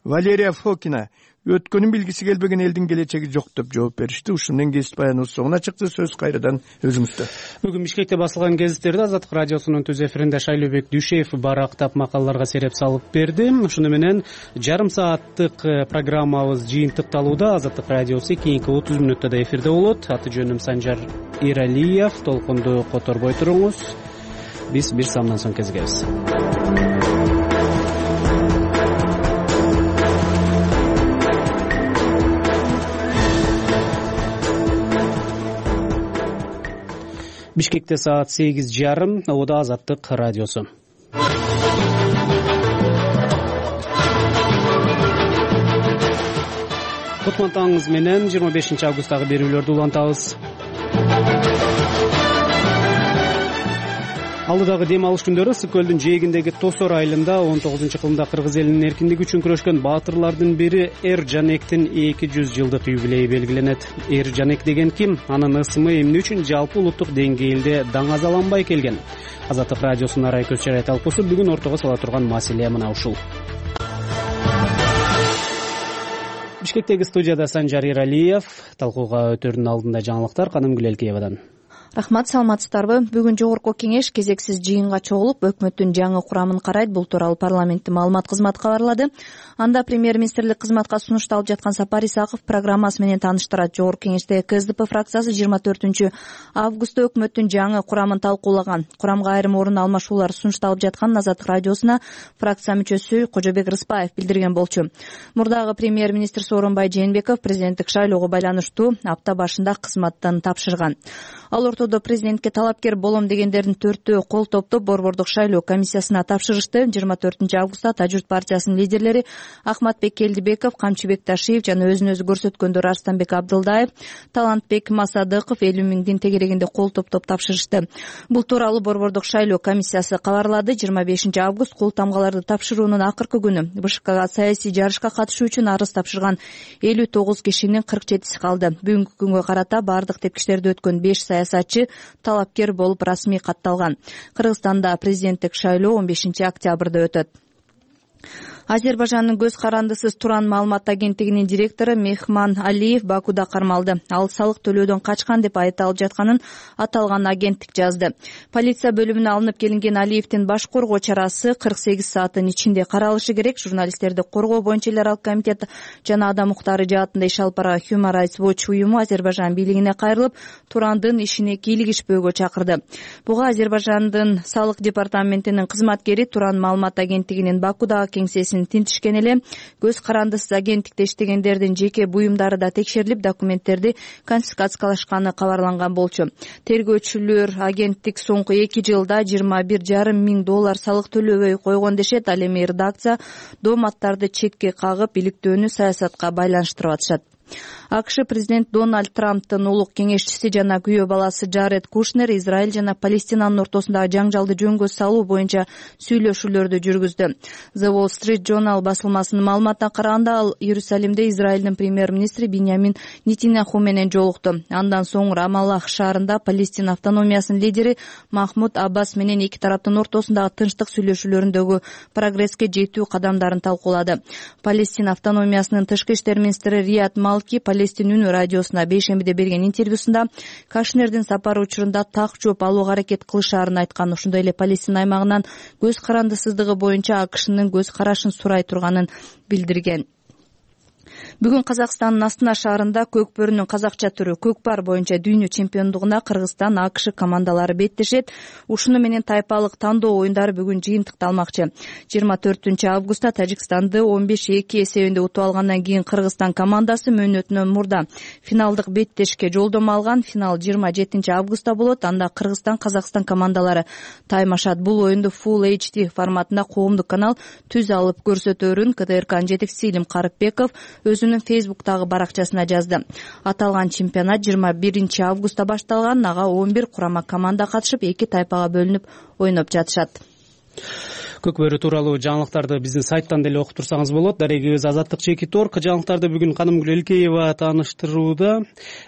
Speaker 14: Валерия Фокина өткөнүн билгиси келбеген элдин келечеги жок деп жооп беришти. Ушун менен кесип баяныбыз соңуна чыкты. Сөз кайрадан өзүңүздө.
Speaker 1: Бүгүн Бишкекте басылган гезиттерде Азаттык радиосунун түз эфиринде Шайлообек Дүйшеев барактап макалаларга сереп салып берди. Ушуну менен жарым сааттык программабыз жыйынтыкталууда. Азаттык радиосу кийинки отуз мүнөттө да эфирде болот. Аты жөнүм Санжар Иралиев. Толкунду которбой туруңуз. Биз бир самдан соң кезигебиз. Бишкекте саат сегиз жарым, Ода Азаттык радиосу. Кутмантаңыз менен жыйырма бешинчи августтагы берүүлөрдү улантабыз. Алдыдагы дем алыш күндөрү Ысык көлдүн жээгиндеги Тосор айылында он тогузунчу кылымда кыргыз элинин эркиндиги үчүн күрөшкөн баатырлардын бири Эр Жанектин эки жүз жылдык юбилейи белгиленет. Эр Жанек деген ким? Анын ысымы эмне үчүн жалпы улуттук деңгээлде даңазаланбай келген? Азаттык радиосунун арай көз чарай талкуусу бүгүн ортого сала турган маселе мына ушул. Бишкектеги студияда Санжар Иралиев, талкууга өтөрдүн алдында жаңылыктар Канымгүл Элкеевадан.
Speaker 4: Рахмат, саламатсыздарбы? Бүгүн жогорку кеңеш кезексиз жыйынга чогулуп, өкмөттүн жаңы курамын карайт. Бул тууралуу парламенттин маалымат кызматы кабарлады. Анда премьер-министрлик кызматка сунушталып жаткан Сапар Исаков программасы менен тааныштырат. Жогорку кеңеште КСДП фракциясы жыйырма төртүнчү августта өкмөттүн жаңы курамын талкуулаган. Курамга айрым орун алмашуулар сунушталып жатканын Азаттык радиосуна фракция мүчөсү Кожобек Рыспаев билдирген болчу. Мурдагы премьер-министр Сооронбай Жээнбеков президенттик шайлоого байланыштуу апта башында кызматтан тапшырган. Ал ортодо президентке талапкер болом дегендердин төртөө кол топтоп Борбордук шайлоо комиссиясына тапшырышты. жыйырма төртүнчү августта Тажурт партиясынын лидерлери Ахматбек Келдибеков, Камчыбек Ташиев жана өзүн өзү көрсөткөндөр Арстанбек Абдылдаев, Талантбек Масадыков элүү миңдин тегерегинде кол топтоп тапшырышты. Бул тууралуу Борбордук шайлоо комиссиясы кабарлады. жыйырма бешинчи август кол тамгаларды тапшыруунун акыркы күнү. БШКга саясий жарышка катышуу үчүн арыз тапшырган элүү тогуз кишинин кырк жетиси калды. Бүгүнкү күнгө карата бардык тепкичтерди өткөн беш саясатчы талапкер болуп расмий катталган. Кыргызстанда президенттик шайлоо он бешинчи октябрда өтөт. Азербайжандын көз карандысыз Туран маалымат агенттигинин директору Мехман Алиев Бакуда кармалды. Ал салык төлөөдөн качкан деп айыпталып жатканын аталган агенттик жазды. Полиция бөлүмүнө алынып келинген Алиевдин баш коргоо чарасы кырк сегиз сааттын ичинде каралышы керек. Журналисттерди коргоо боюнча эл аралык комитет жана адам укуктары жаатында иш алып барган Human Rights Watch уюму Азербайжан бийлигине кайрылып, Турандын ишине кийлигишпөөгө чакырды. Буга Азербайжандын салык департаментинин кызматкери Туран маалымат агенттигинин Бакудагы кеңсесин тинтишкен эле. Көз карандысыз агенттикте иштегендердин жеке буюмдары да текшерилип, документтерди конфискациялашканы кабарланган болчу. Тергөөчүлөр агенттик соңку эки жылда жыйырма бир жарым миң доллар салык төлөбөй койгон дешет. Ал эми редакция дооматтарды четке кагып, иликтөөнү саясатка байланыштырып атышат. АКШ президент Дональд Трамптын улук кеңешчиси жана күйөө баласы Джаред Кушнер Израиль жана Палестинанын ортосундагы жаңжалды жөнгө салуу боюнча сүйлөшүүлөрдү жүргүздү. The Wall Street Journal басылмасынын маалыматына караганда, ал Иерусалимде Израилдин премьер-министри Биньямин Нетаньяху менен жолукту. Андан соң Рамаллах шаарында Палестина автономиясынын лидери Махмуд Аббас менен эки тараптын ортосундагы тынчтык сүйлөшүүлөрүндөгү прогресске жетүү кадамдарын талкуулады. Палестина автономиясынын тышкы иштер министри Рият Малки Палестин үнү радиосуна бейшембиде берген интервьюсунда Кашнердин сапары учурунда так жооп алууга аракет кылышаарын айткан. Ошондой эле Палестина аймагынан көз карандысыздыгы боюнча АКШнын көз карашын сурай турганын билдирген. Бүгүн Казакстандын Астана шаарында көкбөрүнүн казакча түрү көкпар боюнча дүйнө чемпиондугуна Кыргызстан, АКШ командалары беттешет. Ушуну менен тайпалык тандоо оюндары бүгүн жыйынтыкталмакчы. жыйырма төртүнчү августта Тажикстанды он беш эки эсебинде утуп алгандан кийин Кыргызстан командасы мөөнөтүнөн мурда финалдык беттешке жолдомо алган. Финал жыйырма жетинчи августта болот. Анда Кыргызстан, Казакстан командалары таймашат. Бул оюнду Full эйч ди форматында коомдук канал түз алып көрсөтөөрүн КТРКнын жетекчиси Илим Карыпбеков өзүнүн Фейсбуктагы баракчасына жазды. Аталган чемпионат жыйырма биринчи августта башталган. Ага он бир курама команда катышып, эки тайпага бөлүнүп ойноп жатышат.
Speaker 1: Көкбөрү тууралуу жаңылыктарды биздин сайттан деле окуп турсаңыз болот. Дарегибиз Азаттык Чекит Орг. Жаңылыктарды бүгүн Канымгүл Элкеева тааныштырууда.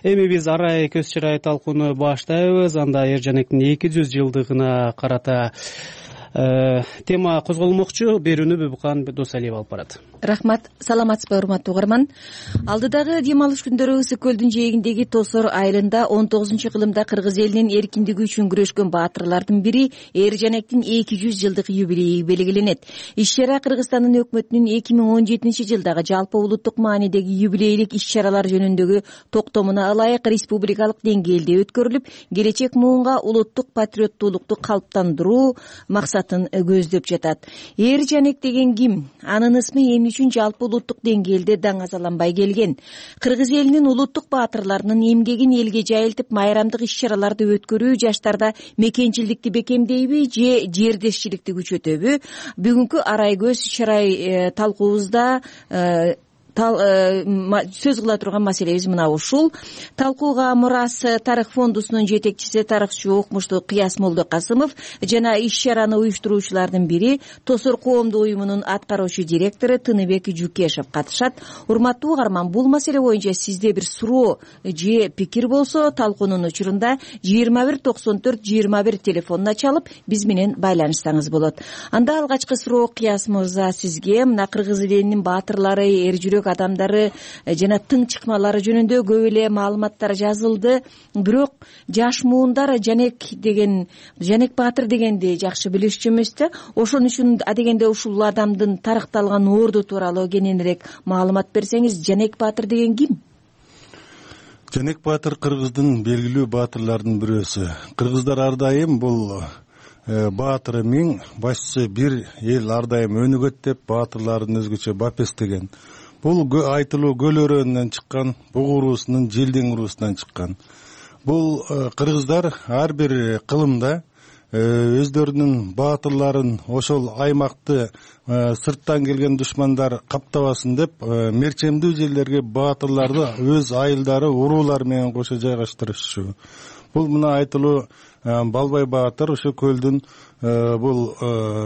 Speaker 1: Эми биз арай көз чырай талкууну баштайбыз. Анда Эржанектин эки жүз жылдыгына карата тема козголмокчу. Берүүнү Бүбүкан Досалиева алып барат.
Speaker 15: Рахмат. Саламатсызбы, урматтуу угарман. Алдыдагы дем алыш күндөрү Ысык көлдүн жээгиндеги Тосор айылында он тогузунчу кылымда кыргыз элинин эркиндиги үчүн күрөшкөн баатырлардын бири Эржанектин эки жүз жылдык юбилейи белгиленет. Иш-чара Кыргызстандын өкмөтүнүн эки миң он жетинчи жылдагы жалпы улуттук маанидеги юбилейлик иш-чаралар жөнүндөгү токтомуна ылайык республикалык деңгээлде өткөрүлүп, келечек муунга улуттук патриоттуулукту калыптандыруу максатын көздөп жатат. Эржанек деген ким? Анын ысмы эмне үчүн жалпы улуттук деңгээлде даңазаланбай келген? Кыргыз элинин улуттук баатырларынын эмгегин элге жайылтып, майрамдык иш-чараларды өткөрүү жаштарда мекенчилдикти бекемдейби же жердешчиликти күчөтөбү? Бүгүнкү арай көз чырай талкуубузда сөз кыла турган маселебиз мына ушул. Талкууга Мурас тарых фондусунун жетекчиси, тарыхчы Укмуштуу Кыяс Молдокасымов жана иш-чараны уюштуруучулардын бири Тосор коомдук уюмунун аткаруучу директору Тыныбек Жукешев катышат. Урматтуу угарман, бул маселе боюнча сизде бир суроо же пикир болсо, талкуунун учурунда жыйырма бир токсон төрт жыйырма бир телефонуна чалып биз менен байланышсаңыз болот. Анда алгачкы суроо Кыяс мырза сизге. Мына кыргыз элинин баатырлары, эр жүрөк адамдары жана тың чыкмалары жөнүндө көп эле маалыматтар жазылды. Бирок жаш муундар Жанек деген, Жанек баатыр дегенди жакшы билишчү эмес да. Ошон үчүн адегенде ушул адамдын тарыкталган орду тууралуу кененирээк маалымат берсеңиз. Жанек баатыр деген ким?
Speaker 16: Жанек баатыр кыргыздын белгилүү баатырларынын бирөөсү. Кыргыздар ар дайым бул баатыры миң, башчысы бир эл ар дайым өнүгөт деп баатырларын өзгөчө бап эстеген. Бул айтылуу көл өрөөнүнөн чыккан, буг уруусунун Желдең уруусунан чыккан. Бул кыргыздар ар бир кылымда өздөрүнүн баатырларын ошол аймакты сырттан келген душмандар каптабасын деп мерчемдүү жерлерге баатырларды өз айылдары, уруулары менен кошо жайгаштырышчу. Бул мына айтылуу Балбай баатыр ошо көлдүн бул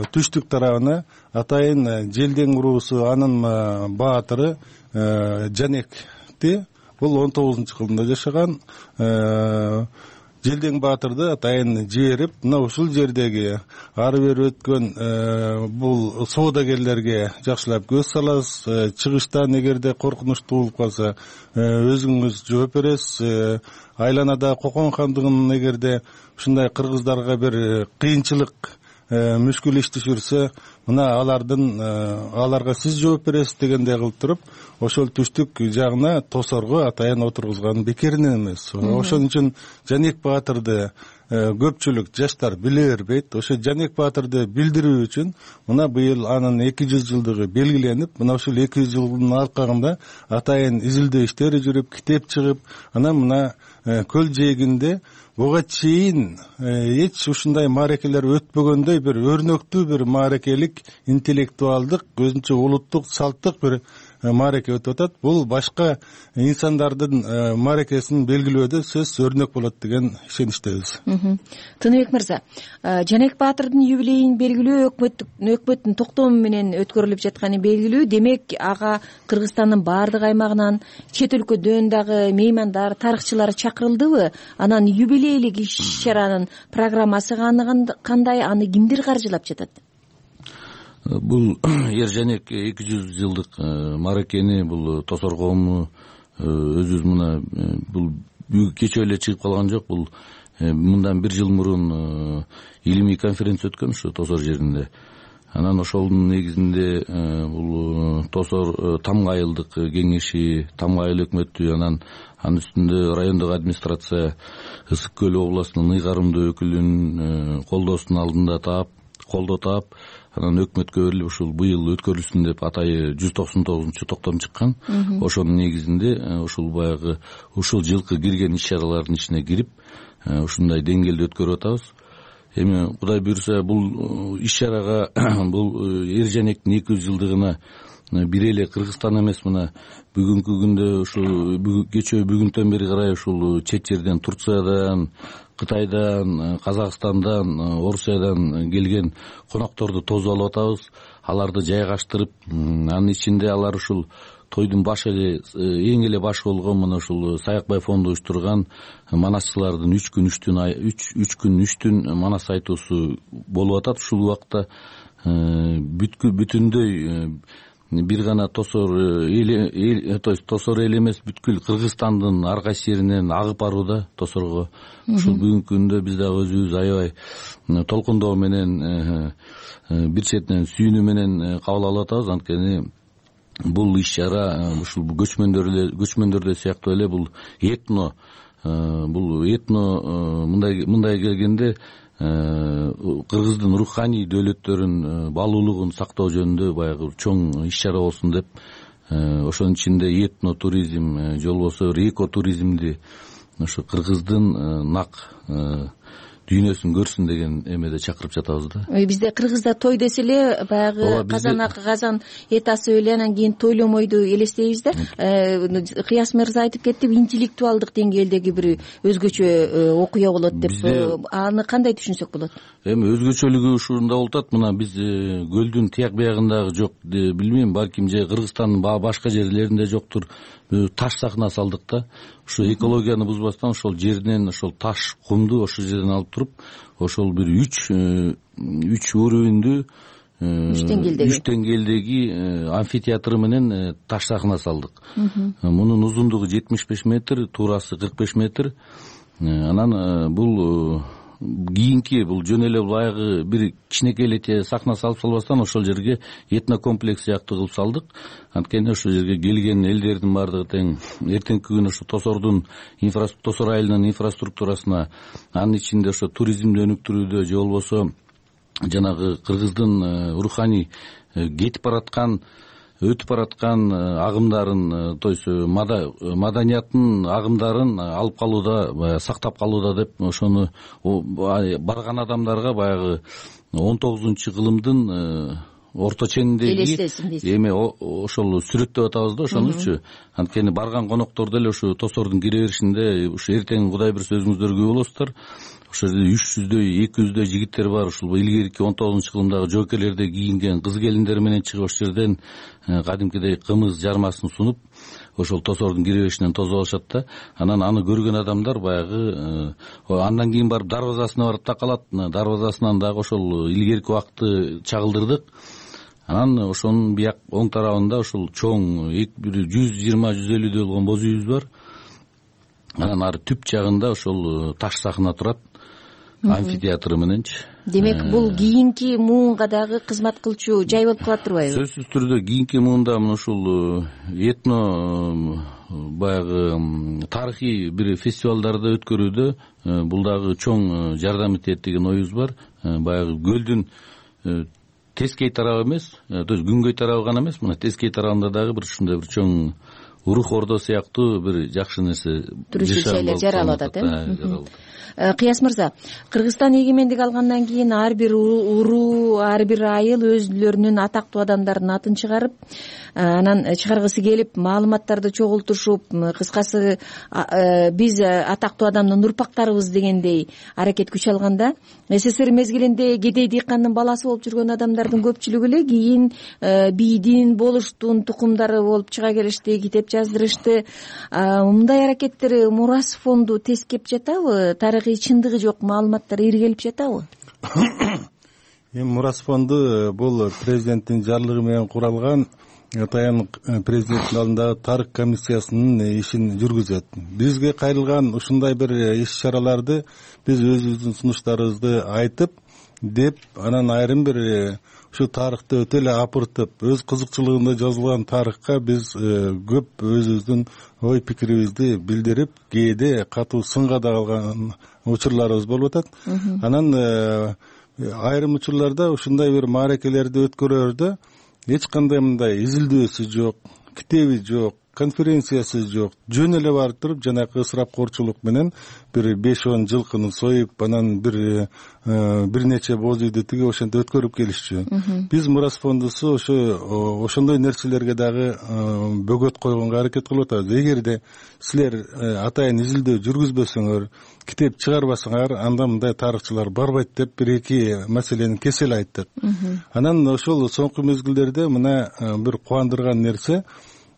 Speaker 16: түштүк тарабына атайын Желдең уруусу анын баатыры Жанекти бул он тогузунчу кылымда жашаган. Желдең баатырды атайын жиберип, мына ушул жердеги ары бери өткөн бул соодагерлерге жакшылап көз саласыз, чыгыштан эгерде коркунучтуу болуп калса өзүңүз жооп бересиз. Айланада Кокон хандыгынын эгерде ушундай кыргыздарга бир кыйынчылык мүшкүл иш түшүрсө, мына алардын аларга сиз жооп бересиз дегендей кылып туруп, ошол түштүк жагына Тосорго атайын отургузган бекеринен эмес. Ошон үчүн Жанек баатырды көпчүлүк жаштар биле бербейт. Ошо Жанек баатырды билдирүү үчүн мына быйыл анын эки жүз жылдыгы белгиленип, мына ушул эки жүз жылдын аркагында атайын изилдөө иштери жүрүп, китеп чыгып, анан мына көл жээгинде буга чейин эч ушундай мааракелер өтпөгөндөй бир өрнөктүү бир мааракелик, интеллектуалдык, өзүнчө улуттук салттык бир маареке өтүп атат. Бул башка инсандардын мааракесин белгилөөдө сөз өрнөк болот деген ишеничтебиз.
Speaker 15: Тыныбек мырза, Жанек баатырдын юбилейин белгилөө өкмөттүн токтому менен өткөрүлүп жатканы белгилүү. Демек, ага Кыргызстандын баардык аймагынан, чет өлкөдөн дагы меймандар, тарыхчылар чакырылдыбы? Анан юбилейлик иш-чаранын программасы кандай, аны кимдер каржылап жатат?
Speaker 17: Бул Эржанек эки жүз жылдык мааракени бул Тосор коому өзүбүз мына бул кечээ эле чыгып калган жок. Бул мындан бир жыл мурун илимий конференция өткөн ушу Тосор жеринде. Анан ошолдун негизинде бул Тосор Тамга айылдык кеңеши, Тамга айыл өкмөтү, анан анын үстүндө райондук администрация Ысык көл областынын ыйгарымдуу өкүлүнүн колдоосунун алдында таап, колдоо таап, анан өкмөткө берилип ушул быйыл өткөрүлсүн деп атайы жүз токсон тогузунчу токтом чыккан. Ошонун негизинде ушул баягы ушул жылкы кирген иш-чаралардын ичине кирип, ушундай деңгээлде өткөрүп атабыз. Эми Кудай буйрса бул иш-чарага бул Эржанектин эки жүз жылдыгына бир эле Кыргызстан эмес, мына бүгүнкү күндө ушул кечээ бүгүнтөн бери карай ушул чет жерден, Турциядан, Кытайдан, Казакстандан, Орусиядан келген конокторду тосуп алып атабыз. Аларды жайгаштырып, анын ичинде алар ушул тойдун башы эле эң эле башы болгон мына ушул Саякбай фонду уюштурган манасчылардын үч күн үч түн үч күн үч түн манас айтуусу болуп атат. Ушул убакта бүтүндөй бир гана тосор эл, то есть тосор эл эмес, бүткүл Кыргызстандын ар кайсы жеринен агып барууда тосорго. Ушул бүгүнкү күндө биз дагы өзүбүз аябай толкундоо менен, бир четинен сүйүнүү менен кабыл алып атабыз. Анткени бул иш чара ушул көчмөндөр эле көчмөндөрдө сыяктуу эле бул этно бул этно мындай мындай келгенде Кыргыздын руханий дөөлөттөрүн баалуулугун сактоо жөнүндө баягы чоң иш чара болсун деп, ошонун ичинде этно туризм же болбосо эко туризмди ошо Кыргыздын нак дүйнөсүн көрсүн деген эмеде чакырып жатабыз да.
Speaker 15: Бизде Кыргызда той десе эле баягы казанак, казан эт асып эле анан кийин тойломойду элестейбиз да. Кыяс мырза айтып кетти, интеллектуалдык деңгээлдеги бир өзгөчө окуя болот деп. Аны кандай түшүнсөк болот?
Speaker 17: Эми өзгөчөлүгү ушунда болуп атат. Мына биз көлдүн тияк биягындагы жок, билбейм, балким же Кыргызстандын башка жерлеринде жоктур. Таш сахна салдык да. Ушу экологияны бузбастан ошол жеринен ошол таш, кумду ошол жерден алып туруп, ошол бир үч үч уровеньдүү үч деңгээлдеги амфитеатр менен таш сахна салдык. Мунун узундугу жетимиш беш метр, туурасы кырк беш метр. Анан бул кийинки бул жөн эле баягы бир кичинекей эле сахна салып салбастан ошол жерге этнокомплекс сыяктуу кылып салдык. Анткени ошол жерге келген элдердин баардыгы тең эртеңки күнү ошо тосордун тосор айылынын инфраструктурасына, анын ичинде ошо туризмди өнүктүрүүдө же болбосо жанагы Кыргыздын руханий кетип бараткан, өтүп бараткан агымдарын, то есть маданиятын агымдарын алып калууда, сактап калууда деп ошону барган адамдарга баягы он тогузунчу кылымдын орто чениндеги эми ошол сүрөттөп атабыз да ошонучу. Анткени барган коноктор деле ушу тосордун кире беришинде ушу эртең Кудай буйрса өзүңүздөр күбө болосуздар. Ошол жерде үч жүздөй, эки жүздөй жигиттер бар. Ушул илгерки он тогузунчу кылымдагы жоокерлерде кийинген кыз келиндер менен чыгып ошол жерден кадимкидей кымыз жармасын сунуп ошол тосордун кире беришинен тосуп алышат да. Анан аны көргөн адамдар баягы андан кийин барып дарбазасына барып такалат. Дарбазасынан дагы ошол илгерки убакытты чагылдырдык. Анан ошонун бияк оң тарабында ошол чоң бир жүз жыйырма жүз элүүдөй болгон боз үйүбүз бар. Анан ары түп жагында ошол таш сахна турат, амфитеатр мененчи.
Speaker 15: Демек, бул кийинки муунга дагы кызмат кылчу жай болуп калат турбайбы?
Speaker 17: Сөзсүз түрдө кийинки муунда мына ушул этно баягы тарыхый бир фестивалдарды өткөрүүдө бул дагы чоң жардам этет деген оюбуз бар. Баягы көлдүн тескей тарабы эмес, то есть күнгөй тарабы гана эмес, мына тескей тарабында дагы бир ушундай бир чоң урух ордо сыяктуу бир жакшы нерсе
Speaker 15: туристтик жаралып атат, э? Кыяс мырза, Кыргызстан эгемендик алгандан кийин ар бир уруу, ар бир айыл өзлөрүнүн атактуу адамдарынын атын чыгарып, анан чыгаргысы келип, маалыматтарды чогултушуп, кыскасы биз атактуу адамдын урпактарыбыз дегендей аракет күч алганда, СССР мезгилинде кедей дыйкандын баласы болуп жүргөн адамдардын көпчүлүгү эле кийин бийдин, болуштун тукумдары болуп чыга келишти, китеп жаздырышты. Мындай аракеттер Мурас фонду тескеп жатабы? Тарыхый чындыгы жок маалыматтар иргелип жатабы?
Speaker 16: Эми Мурас фонду бул президенттин жарлыгы менен куралган атайын президенттин алдындагы тарых комиссиясынын ишин жүргүзөт. Бизге кайрылган ушундай бир иш-чараларды биз өзүбүздүн сунуштарыбызды айтып деп, анан айрым бир ушу тарыхты өтө эле апыртып, өз кызыкчылыгында жазылган тарыхка биз көп өзүбүздүн ой пикирибизди билдирип, кээде катуу сынга да калган учурларыбыз болуп атат. Анан айрым учурларда ушундай бир мааракелерди өткөрөрдө эч кандай мындай изилдөөсү жок, китеби жок, конференциясы жок, жөн эле барып туруп жанагы ысырапкорчулук менен бир беш он жылкыны союп, анан бир бир нече боз үйдү тиги ошентип өткөрүп келишчү. Биз Мурас фондусу ошо ошондой нерселерге дагы бөгөт койгонго аракет кылып атабыз. Эгерде силер атайын изилдөө жүргүзбөсөңөр, китеп чыгарбасаңар, анда мындай тарыхчылар барбайт деп бир эки маселени кесел айттык. Анан ошол соңку мезгилдерде мына бир кубандырган нерсе,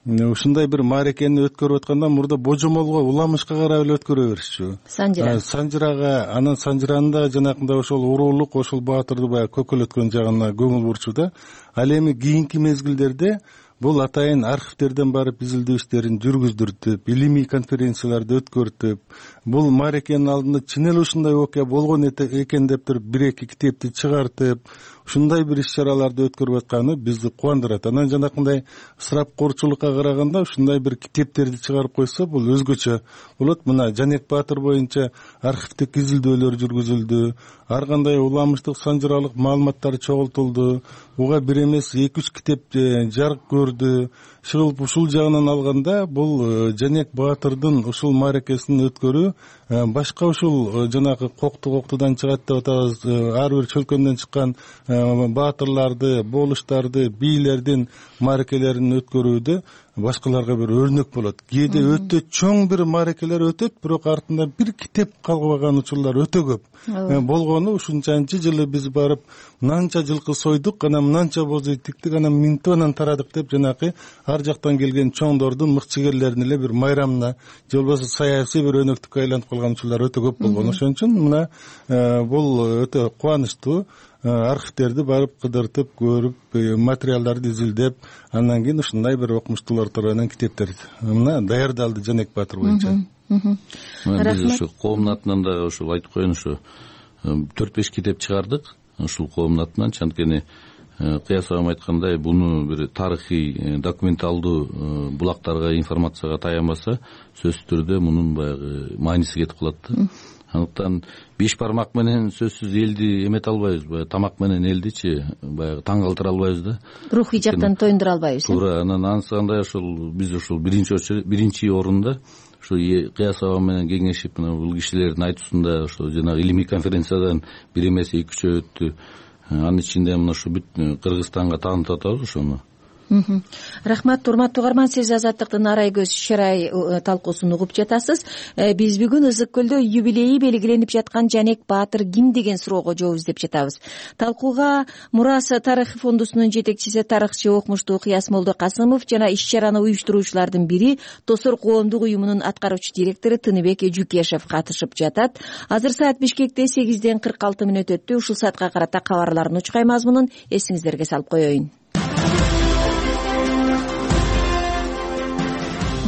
Speaker 16: ушундай бир мааракени өткөрүп атканда мурда божомолго, уламышка карап эле өткөрө беришчү. Санжыра. Санжырага, анан санжыранын да жанакындай ошол уруулук, ошол баатырды баягы көкөлөткөн жагына көңүл бурчу да. Ал эми кийинки мезгилдерде бул атайын архивтерден барып изилдөө иштерин жүргүздүртүп, илимий конференцияларды өткөртүп, бул мааракенин алдында чын эле ушундай окуя болгон экен деп туруп бир эки китепти чыгартып, ушундай бир иш-чараларды өткөрүп атканы бизди кубандырат. Анан жанакындай ысырапкорчулукка караганда ушундай бир китептерди чыгарып койсо, бул өзгөчө болот. Мына Жанек Баатыр боюнча архивдик изилдөөлөр жүргүзүлдү, ар кандай уламыштык, санжыралык маалыматтар чогултулду. Буга бир эмес эки үч китеп жарык көрдү. Шылып ушул жагынан алганда бул Жанек Баатырдын ушул мааракесин өткөрүү башка ушул жанагы кокту коктудан чыгат деп атабыз, ар бир чөлкөмдөн чыккан баатырларды, болуштарды, бийлердин мааракелерин өткөрүүдө башкаларга бир өрнөк болот. Кээде өтө чоң бир мааракелер өтөт, бирок артында бир китеп калбаган учурлар өтө көп болгону. Ушунчанчы жылы биз барып мынанча жылкы сойдук, анан мынанча боз үй тиктик, анан минтип анан тарадык деп жанагы ар жактан келген чоңдордун, мыкчыгерлердин эле бир майрамына же болбосо саясий бир өнөктүккө айланып калган учурлар өтө көп болгон. Ошон үчүн мына бул өтө кубанычтуу. Архивтерди барып кыдыртып көрүп, материалдарды изилдеп, андан кийин ушундай бир окумуштуулар тарабынан китептер мына даярдалды Жанек Баатыр боюнча.
Speaker 17: Биз ушу коомдун атынан да ушул айтып коеюн, ушу төрт беш китеп чыгардык ушул коомдун атынан. Анткени Кыяс агам айткандай, буну бир тарыхый, документалдуу булактарга, информацияга таянбаса, сөзсүз түрдө мунун баягы мааниси кетип калат да. Андыктан беш бармак менен сөзсүз элди эмете албайбыз, баягы тамак менен элдичи баягы таң калтыра албайбыз да.
Speaker 15: Рухий жактан тоюндура албайбыз.
Speaker 17: Туура. Анан ансыкандай ошол биз ушул биринчи биринчи орунда ушу Кыяс агам менен кеңешип, мына бул кишилердин айтуусунда ошо жанагы илимий конференциядан бир эмес эки үчөө өттү. Анын ичинде мына ушу бүт Кыргызстанга таанытып атабыз ошону.
Speaker 15: Рахмат, урматтуу угарман, сиз Азаттыктын арай көз шарай талкуусун угуп жатасыз. Биз бүгүн Ысык көлдө юбилейи белгиленип жаткан Жанек Баатыр ким деген суроого жооп издеп жатабыз. Талкууга Мурас тарых фондусунун жетекчиси, тарыхчы, окумуштуу Кыяс Молдокасымов жана иш-чараны уюштуруучулардын бири, Тосор коомдук уюмунун аткаруучу директору Тыныбек Жукешев катышып жатат. Азыр саат Бишкекте сегизден кырк алты мүнөт өттү. Ушул саатка карата кабарлардын учкай мазмунун эсиңиздерге салып коеюн.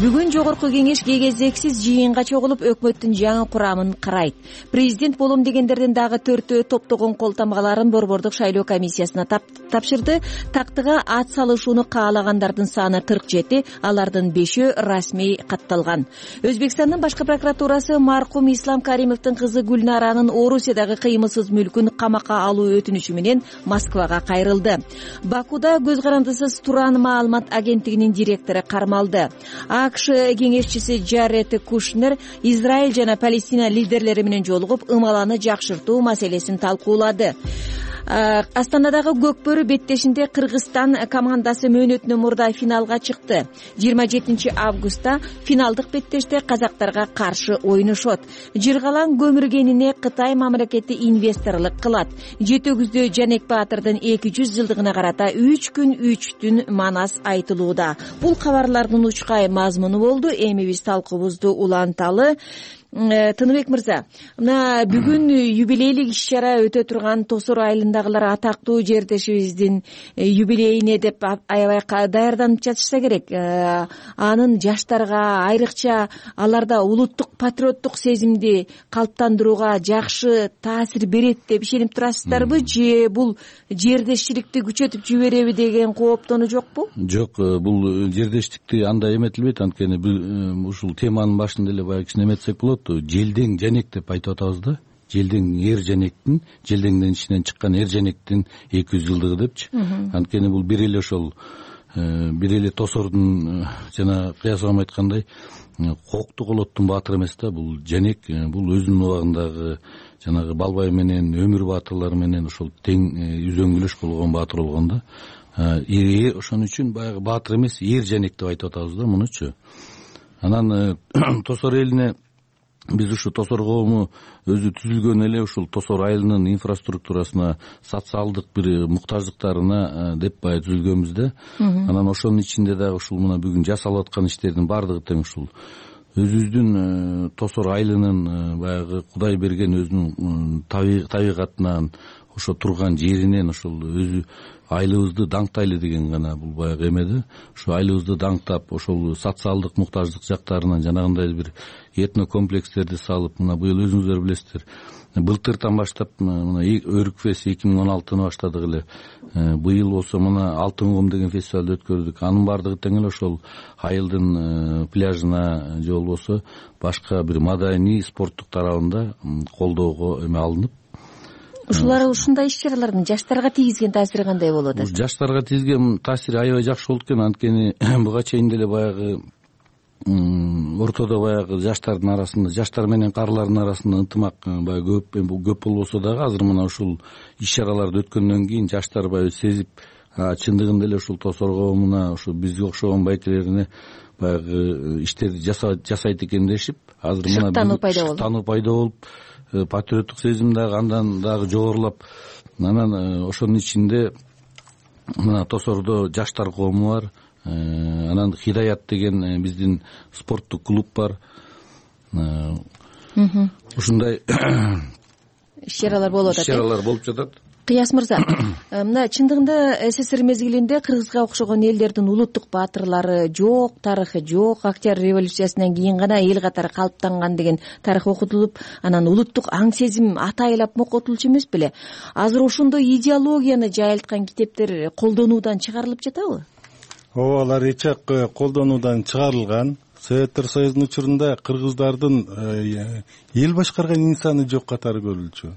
Speaker 15: Бүгүн жогорку кеңеш кезексиз жыйынга чогулуп өкмөттүн жаңы курамын карайт. Президент болом дегендердин дагы төртөө топтогон кол тамгаларын борбордук шайлоо комиссиясына тапшырды. Тактыга ат салышууну каалагандардын саны кырк жети, алардын бешөө расмий катталган. Өзбекстандын башкы прокуратурасы маркум Ислам Каримовдун кызы Гүлнаранын Орусиядагы кыймылсыз мүлкүн камакка алуу өтүнүчү менен Москвага кайрылды. Бакуда көз карандысыз Туран маалымат агенттигинин директору кармалды. АКШ кеңешчиси Джаред Кушнер Израиль жана Палестина лидерлери менен жолугуп, ымаланы жакшыртуу маселесин талкуулады. Астанадагы Көкбөрү беттешинде Кыргызстан командасы мөөнөтүнөн мурда финалга чыкты. жыйырма жетинчи августта финалдык беттеште казактарга каршы ойношот. Жыргалаң көмүргенине Кытай мамлекети инвесторлук кылат. Жетөгүздө Жанек Баатырдын эки жүз жылдыгына карата үч күн үч түн манас айтылууда. Бул кабарлардын учкай мазмуну болду. Эми биз талкуубузду уланталы. Тыныбек мырза, мына бүгүн юбилейлик иш-чара өтө турган Тосор айылындагылар атактуу жердешибиздин юбилейине деп аябай даярданып жатышса керек. Анын жаштарга, айрыкча аларда улуттук патриоттук сезимди калыптандырууга жакшы таасир берет деп ишенип турасыздарбы, же бул жердешчиликти күчөтүп жибереби деген кооптонуу жокпу?
Speaker 17: Жок, бул жердештикти андай эметилбейт. Анткени ушул теманын башында эле баягы кичине эметсек болот. Желдең Жанек деп айтып атабыз да. Желдең эр Жанектин, Желдеңден ичинен чыккан эр Жанектин эки жүз жылдыгы депчи. Анткени бул бир эле ошол бир эле тосордун жана кыясагам айткандай Коокту колоттун баатыры эмес да, бул Женек, бул өзүнүн убагындагы жанагы Балбай менен Өмүр баатырлар менен ошол тең үзөңгүлөш болгон баатыр болгон да. Ошон үчүн баягы баатыр эмес, эр Женек деп айтып атабыз да мунучу. Анан Тосор элине биз ушу Тосор коому өзү түзүлгөн эле ушул Тосор айылынын инфраструктурасына, социалдык бир муктаждыктарына деп баягы түзүлгөнбүз да. Анан ошонун ичинде дагы ушул мына бүгүн жасалып аткан иштердин баардыгы тең ушул өзүбүздүн Тосор айылынын баягы Кудай берген өзүнүн табигатынан, ошо турган жеринен ошол өзү айылыбызды даңктайлы деген гана бул баягы эме да. Ошо айылыбызды даңктап, ошол социалдык муктаждык жактарынан жанагындай бир этно комплекстерди салып, мына быйыл өзүңүздөр билесиздер, былтыртан баштап мына Өрүкфест эки миң он алтыны баштадык эле. Быйыл болсо мына Алтын кум деген фестивалды өткөрдүк. Анын баардыгы тең эле ошол айылдын пляжына же болбосо башка бир маданий, спорттук тарабында колдоого эме алынып.
Speaker 15: Ушулар ушундай иш-чаралардын жаштарга тийгизген таасири кандай болот?
Speaker 17: Жаштарга тийгизген таасири аябай жакшы болду экен. Анткени буга чейин деле баягы ортодо баягы жаштардын арасында, жаштар менен каарылардын арасында ынтымак баягы көп көп болбосо дагы азыр мына ушул иш-чараларды өткөндөн кийин жаштар баягы сезип, чындыгында эле ушул Тосор коомуна, ушу бизге окшогон байкелерине баягы иштерди жасайт экен дешип, азыр мына тануу пайда болуп, патриоттук сезим дагы андан дагы жогорулап, анан ошонун ичинде мына Тосордо жаштар коому бар, анан Хидаят деген биздин спорттук клуб бар. Ушундай
Speaker 15: иш-чаралар болуп атат.
Speaker 17: Иш-чаралар болуп жатат.
Speaker 15: Кыяс мырза, мына чындыгында СССР мезгилинде Кыргызга окшогон элдердин улуттук баатырлары жок, тарыхы жок, Октябрь революциясынан кийин гана эл катары калыптанган деген тарых окутулуп, анан улуттук аң сезим атайылап мокотулчу эмес беле? Азыр ошондой идеологияны жайылткан китептер колдонуудан чыгарылып жатабы?
Speaker 16: Ооба, алар эчак колдонуудан чыгарылган. Советтер Союзунун учурунда кыргыздардын эл башкарган инсаны жок катары көрүлчү.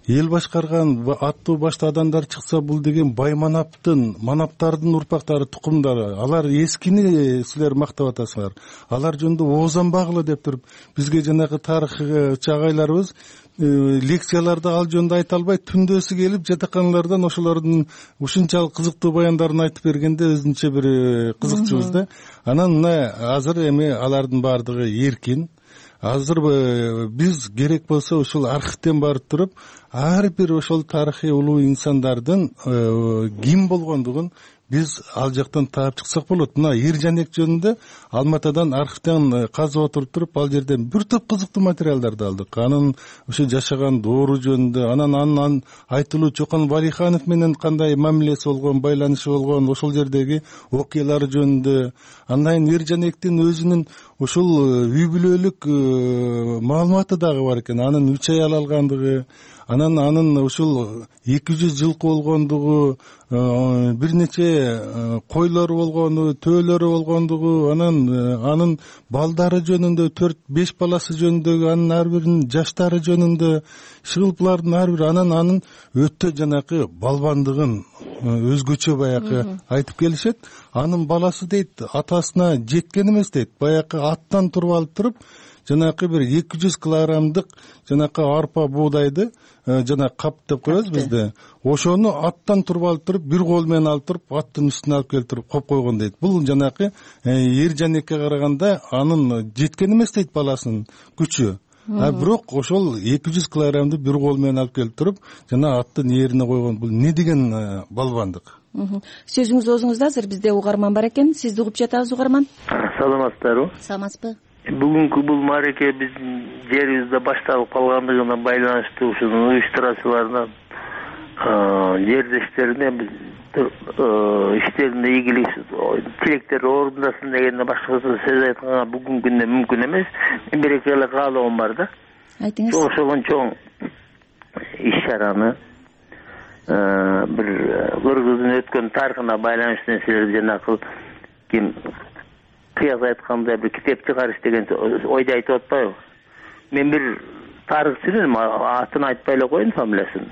Speaker 16: Эл башкарган аттуу башта адамдар чыкса, бул деген бай манаптын, манаптардын урпактары, тукумдары. Алар эскини силер мактап атасыңар. Алар жөнүндө оозанбагыла деп туруп, бизге жанагы тарых чагайларыбыз лекцияларда ал жөнүндө айта албай, түндөсү келип жатаканалардан ошолордун ушунчалык кызыктуу баяндарын айтып бергенде өзүнчө бир кызыкчубуз да. Анан мына азыр эми алардын баардыгы эркин. Азыр биз керек болсо ушул архивден барып туруп, ар бир ошол тарыхый улуу инсандардын ким болгондугун биз ал жактан таап чыксак болот. Мына Ержанек жөнүндө Алматадан архивден казып отуруп туруп, ал жерден бир топ кызыктуу материалдарды алдык. Анын ошо жашаган доору жөнүндө, анан анын айтылуу Чокон Валиханов менен кандай мамилеси болгон, байланышы болгон, ошол жердеги окуялары жөнүндө. Андан Ержанектин өзүнүн ушул үй бүлөлүк маалыматы дагы бар экен. Анын үч аял алгандыгы, анан анын ушул эки жүз жылкы болгондугу, бир нече койлору болгону, төөлөрү болгондугу, анан анын балдары жөнүндө, төрт беш баласы жөнүндөгү, анын ар биринин жаштары жөнүндө, шыгылплардын ар бири, анан анын өтө жанакы балбандыгын өзгөчө баягы айтып келишет. Анын баласы дейт, атасына жеткен эмес дейт, баягы аттан туруп алып туруп, жанакы бир эки жүз килограммдык жанакы арпа буудайды, жана кап деп коебуз бизде, ошону аттан туруп алып туруп, бир кол менен алып туруп, аттын үстүнө алып келип туруп коюп койгон дейт. Бул жанакы Ержанекке караганда анын жеткен эмес дейт баласынын күчү. А бирок ошол эки жүз килограммды бир кол менен алып келип туруп, жана аттын ээрине койгон. Бул не деген балбандык?
Speaker 15: Сөзүңүз оозуңузда, азыр бизде угарман бар экен. Сизди угуп жатабыз, угарман.
Speaker 18: Саламатсыздарбы?
Speaker 15: Саламатсызбы?
Speaker 18: Бүгүнкү бул маареке биздин жерибизде башталып калгандыгына байланыштуу ушунун уюштуруучуларынан жердештерине биз иштеринде ийгилик тилектер орундасын дегенде башкасы сөз айтканга бүгүнкү күндө мүмкүн эмес. Мен бир эки эле каалоом бар да.
Speaker 15: Айтыңыз.
Speaker 18: Ошого чоң иш-чараны бир Кыргыздын өткөн тарыхына байланыштуу нерселерди жанагы ким кыяс айткандай бир китеп чыгарыш деген ойду айтып атпайбы? Мен бир тарыхчынын атын айтпай эле коеюн, фамилиясын.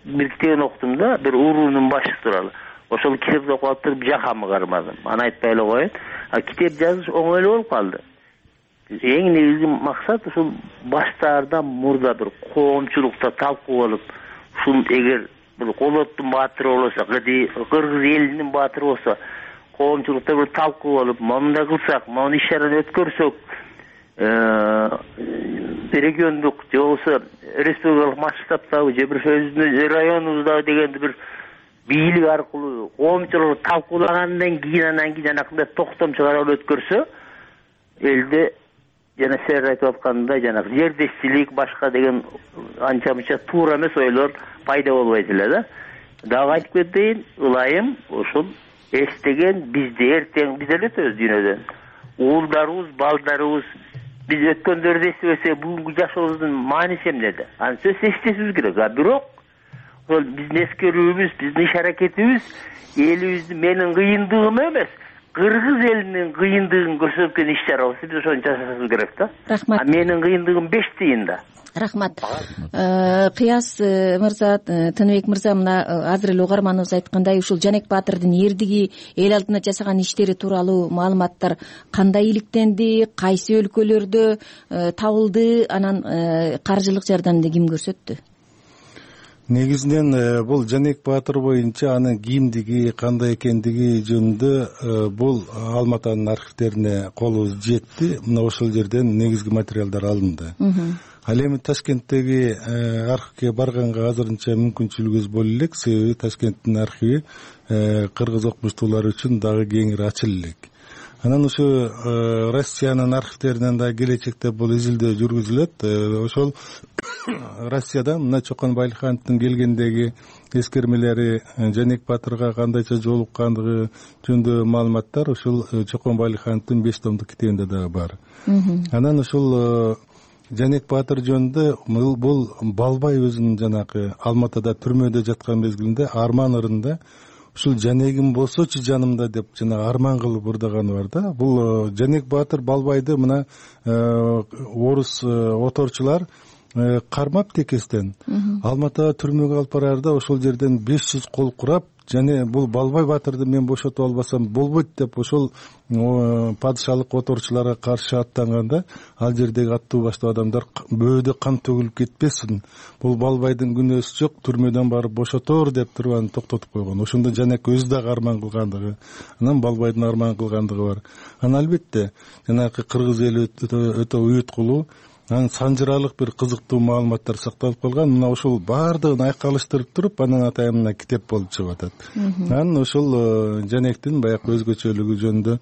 Speaker 18: Бир китебин окудум да, бир уруунун башчысы тууралуу. ошол китепти окуп атып жакамы кармадым. Аны айтпай эле коеюн. А китеп жазыш оңой эле болуп калды. Эң негизги максат ушул баштаардан мурда бир коомчулукта талкуу болуп, ушул эгер бир Колоттун баатыры болсо, кыргыз элинин баатыры болсо, коомчулукта бир талкуу болуп, мындай кылсак, мына иш чараны өткөрсөк, региондук же болбосо республикалык масштабтагы же бир өзүбүздүн районубуздагы дегенди бир бийлик аркылуу коомчулук талкуулагандан кийин анан кийин жанакындай токтом чыгарып өткөрсө, элде жана силер айтып аткандай жанагы жердешчилик башка деген анча мынча туура эмес ойлор пайда болбойт эле да. Дагы айтып кетейин, ылайым ушул эстеген бизде эртең биз эле өтөбүз дүйнөдөн. Уулдарыбыз, балдарыбыз биз өткөндөрдү эстебесек, бүгүнкү жашообуздун мааниси эмнеде? Аны сөзсүз эстешибиз керек. А бирок ошол биздин эскерүүбүз, биздин иш аракетибиз элибиздин менин кыйындыгым эмес, кыргыз элинин кыйындыгын көрсөткөн иш чара болсо биз ошону жасашыбыз керек да.
Speaker 15: Рахмат.
Speaker 18: А менин кыйындыгым беш тыйында.
Speaker 15: Рахмат. Кыяс мырза, Тыныбек мырза, мына азыр эле угарманыбыз айткандай, ушул Жанек Баатырдын эрдиги, эл алдына жасаган иштери тууралуу маалыматтар кандай иликтенди, кайсы өлкөлөрдө табылды, анан каржылык жардамды ким көрсөттү?
Speaker 16: Негизинен бул Жанек Баатыр боюнча анын кимдиги, кандай экендиги жөнүндө бул Алматанын архивдерине колубуз жетти. Мына ошол жерден негизги материалдар алынды. Ал эми Ташкенттеги архивге барганга азырынча мүмкүнчүлүгүбүз боло элек, себеби Ташкенттин архиви кыргыз окумуштуулары үчүн дагы кеңири ачыла элек. Анан ушу Россиянын архивдеринен да келечекте бул изилдөө жүргүзүлөт. Ошол Россияда мына Чокон Байлыхановдун келгендеги эскермелери, Жанек Баатырга кандайча жолуккандыгы жөнүндө маалыматтар ушул Чокон Байлыхановдун беш томдук китебинде дагы бар. Анан ушул Жанек Баатыр жөнүндө бул Балбай өзүнүн жанагы Алматада түрмөдө жаткан мезгилинде арман ырында ушул Жанегим болсочу жанымда деп жана арман кылып ырдаганы бар да. Бул Жанек Баатыр Балбайды мына орус оторчулар кармап текестен Алматага түрмөгө алып бараарда ошол жерден беш жүз кол курап, жана бул Балбай Баатырды мен бошотуп албасам болбойт деп ошол падышалык оторчуларга каршы аттанганда, ал жердеги аттуу баштуу адамдар бөөдө кан төгүлүп кетпесин, бул Балбайдын күнөөсү жок, түрмөдөн барып бошотор деп туруп аны токтотуп койгон. Ошондо Жанек өзү дагы арман кылгандыгы, анан Балбайдын арман кылгандыгы бар. Анан албетте жанагы кыргыз эли өтө уюткулуу, анан санжыралык бир кызыктуу маалыматтар сакталып калган. Мына ошол баардыгын айкалыштырып туруп, анан атайын мына китеп болуп чыгып атат. Анан ошол Жанектин баягы өзгөчөлүгү жөнүндө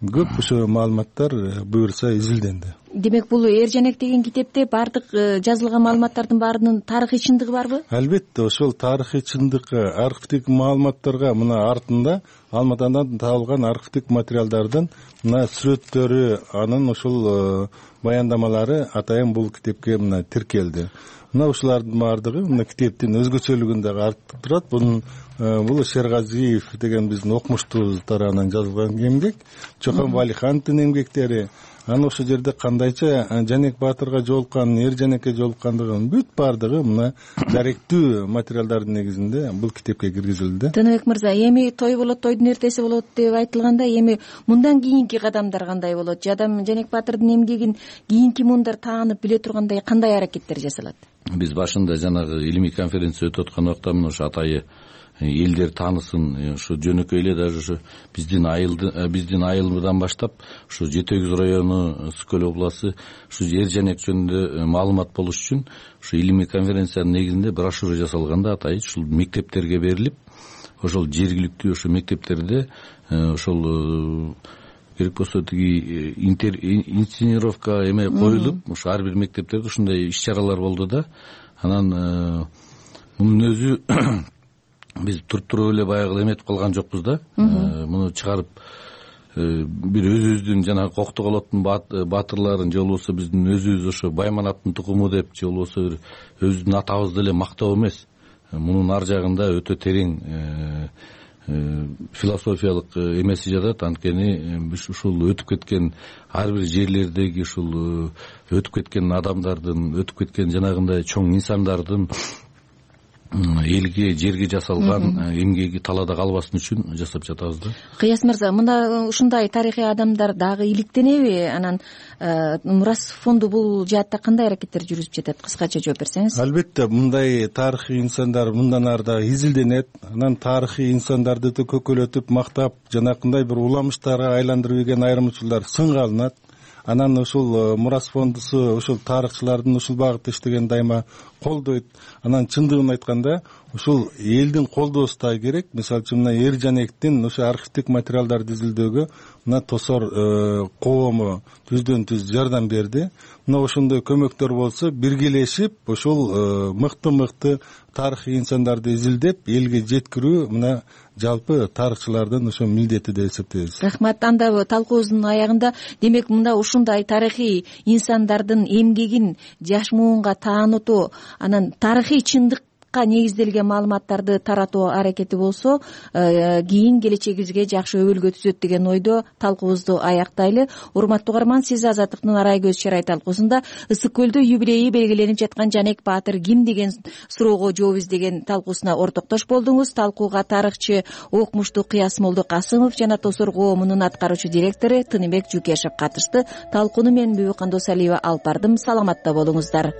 Speaker 16: көп ошо маалыматтар буюрса изилденди.
Speaker 15: Демек бул Эр Жанек деген китепте баардык жазылган маалыматтардын баарынын тарыхый чындыгы барбы?
Speaker 16: Албетте, ошол тарыхый чындыкка, архивдик маалыматтарга мына артында Алматадан табылган архивдик материалдардын мына сүрөттөрү, анын ошол баяндамалары атайын бул китепке мына тиркелди. Мына ушулардын баардыгы мына китептин өзгөчөлүгүн дагы артып турат. Бунун бул Шергазиев деген биздин окумуштуубуз тарабынан жазылган эмгек, Чокон Байлыхановдун эмгектери. Анан ошол жерде кандайча Жанек Баатырга жолуккан, Эр Жанекке жолуккандыгын бүт баардыгы мына даректүү материалдардын негизинде бул китепке киргизилди.
Speaker 15: Тыныбек мырза, эми той болот, тойдун эртеси болот деп айтылганда, эми мындан кийинки кадамдар кандай болот? Жадам Жанек Баатырдын эмгегин кийинки муундар таанып биле тургандай кандай аракеттер жасалат?
Speaker 17: Биз башында жанагы илимий конференция өтүп аткан убакта мына ошо атайы элдер таанысын, ушу жөнөкөй эле даже ушу биздин айылды биздин айылдан баштап ушу Жети Өгүз району, Сүт Көл областы ушу Эр Жанек жөнүндө маалымат болуш үчүн ушу илимий конференциянын негизинде брошюра жасалганда атайын ушул мектептерге берилип, ошол жергиликтүү ошо мектептерде ошол керек болсо тиги инсценировка эме коюлуп, ушу ар бир мектептерде ушундай иш чаралар болду да. Анан мунун өзү биз туруп туруп эле баягы эметип калган жокпуз да. Муну чыгарып бир өзүбүздүн жанагы Коктоголоттун баатырларын же болбосо биздин өзүбүз ошо Байманаттын тукуму деп же болбосо бир өзүбүздүн атабызды эле мактоо эмес. Мунун ар жагында өтө терең философиялык эмеси жатат. Анткени биз ушул өтүп кеткен ар бир жерлердеги ушул өтүп кеткен адамдардын, өтүп кеткен жанагындай чоң инсандардын элге жерге жасалган эмгеги талаада калбасын үчүн жасап жатабыз да.
Speaker 15: Кыяс мырза, мына ушундай тарыхый адамдар дагы иликтенеби? Анан мурас фонду бул жаатта кандай аракеттер жүргүзүп жатат? Кыскача жооп берсеңиз.
Speaker 16: Албетте мындай тарыхый инсандар мындан ары да изилденет. Анан тарыхый инсандарды да көкөлөтүп мактап жанакындай бир уламыштарга айландырып ийген айрым учурлар сынга алынат. Анан ушул мурас фондусу ушул тарыхчылардын ушул багытта иштеген дайыма колдойт. Анан чындыгын айтканда ушул элдин колдоосу да керек. Мисалы үчүн мына Эр Жанектин ошо архивдик материалдарды изилдөөгө мына Тосор коому түздөн түз жардам берди. Мына ошондой көмөктөр болсо биргелешип ушул мыкты мыкты тарыхый инсандарды изилдеп элге жеткирүү мына жалпы тарыхчылардын ошо милдети деп эсептейбиз.
Speaker 15: Рахмат. Анда талкуубуздун аягында демек мында ушундай тарыхый инсандардын эмгегин жаш муунга таанытуу, анан тарыхый чындык негизделген маалыматтарды таратуу аракети болсо кийин келечегибизге жакшы өбөлгө түзөт деген ойдо талкуубузду аяктайлы. Урматтуу угарман, сиз Азаттыктын Арай көз чарай талкуусунда Ысык көлдө юбилейи белгиленип жаткан Жанек Баатыр ким деген суроого жооп издеген талкуусуна ортоктош болдуңуз. Талкууга тарыхчы Окмуштуу Кыяс Молдокасымов жана Тосор коомунун аткаруучу директору Тыныбек Жукешев катышты. Талкууну мен Бүбү Кандосалиева алып бардым. Саламатта болуңуздар.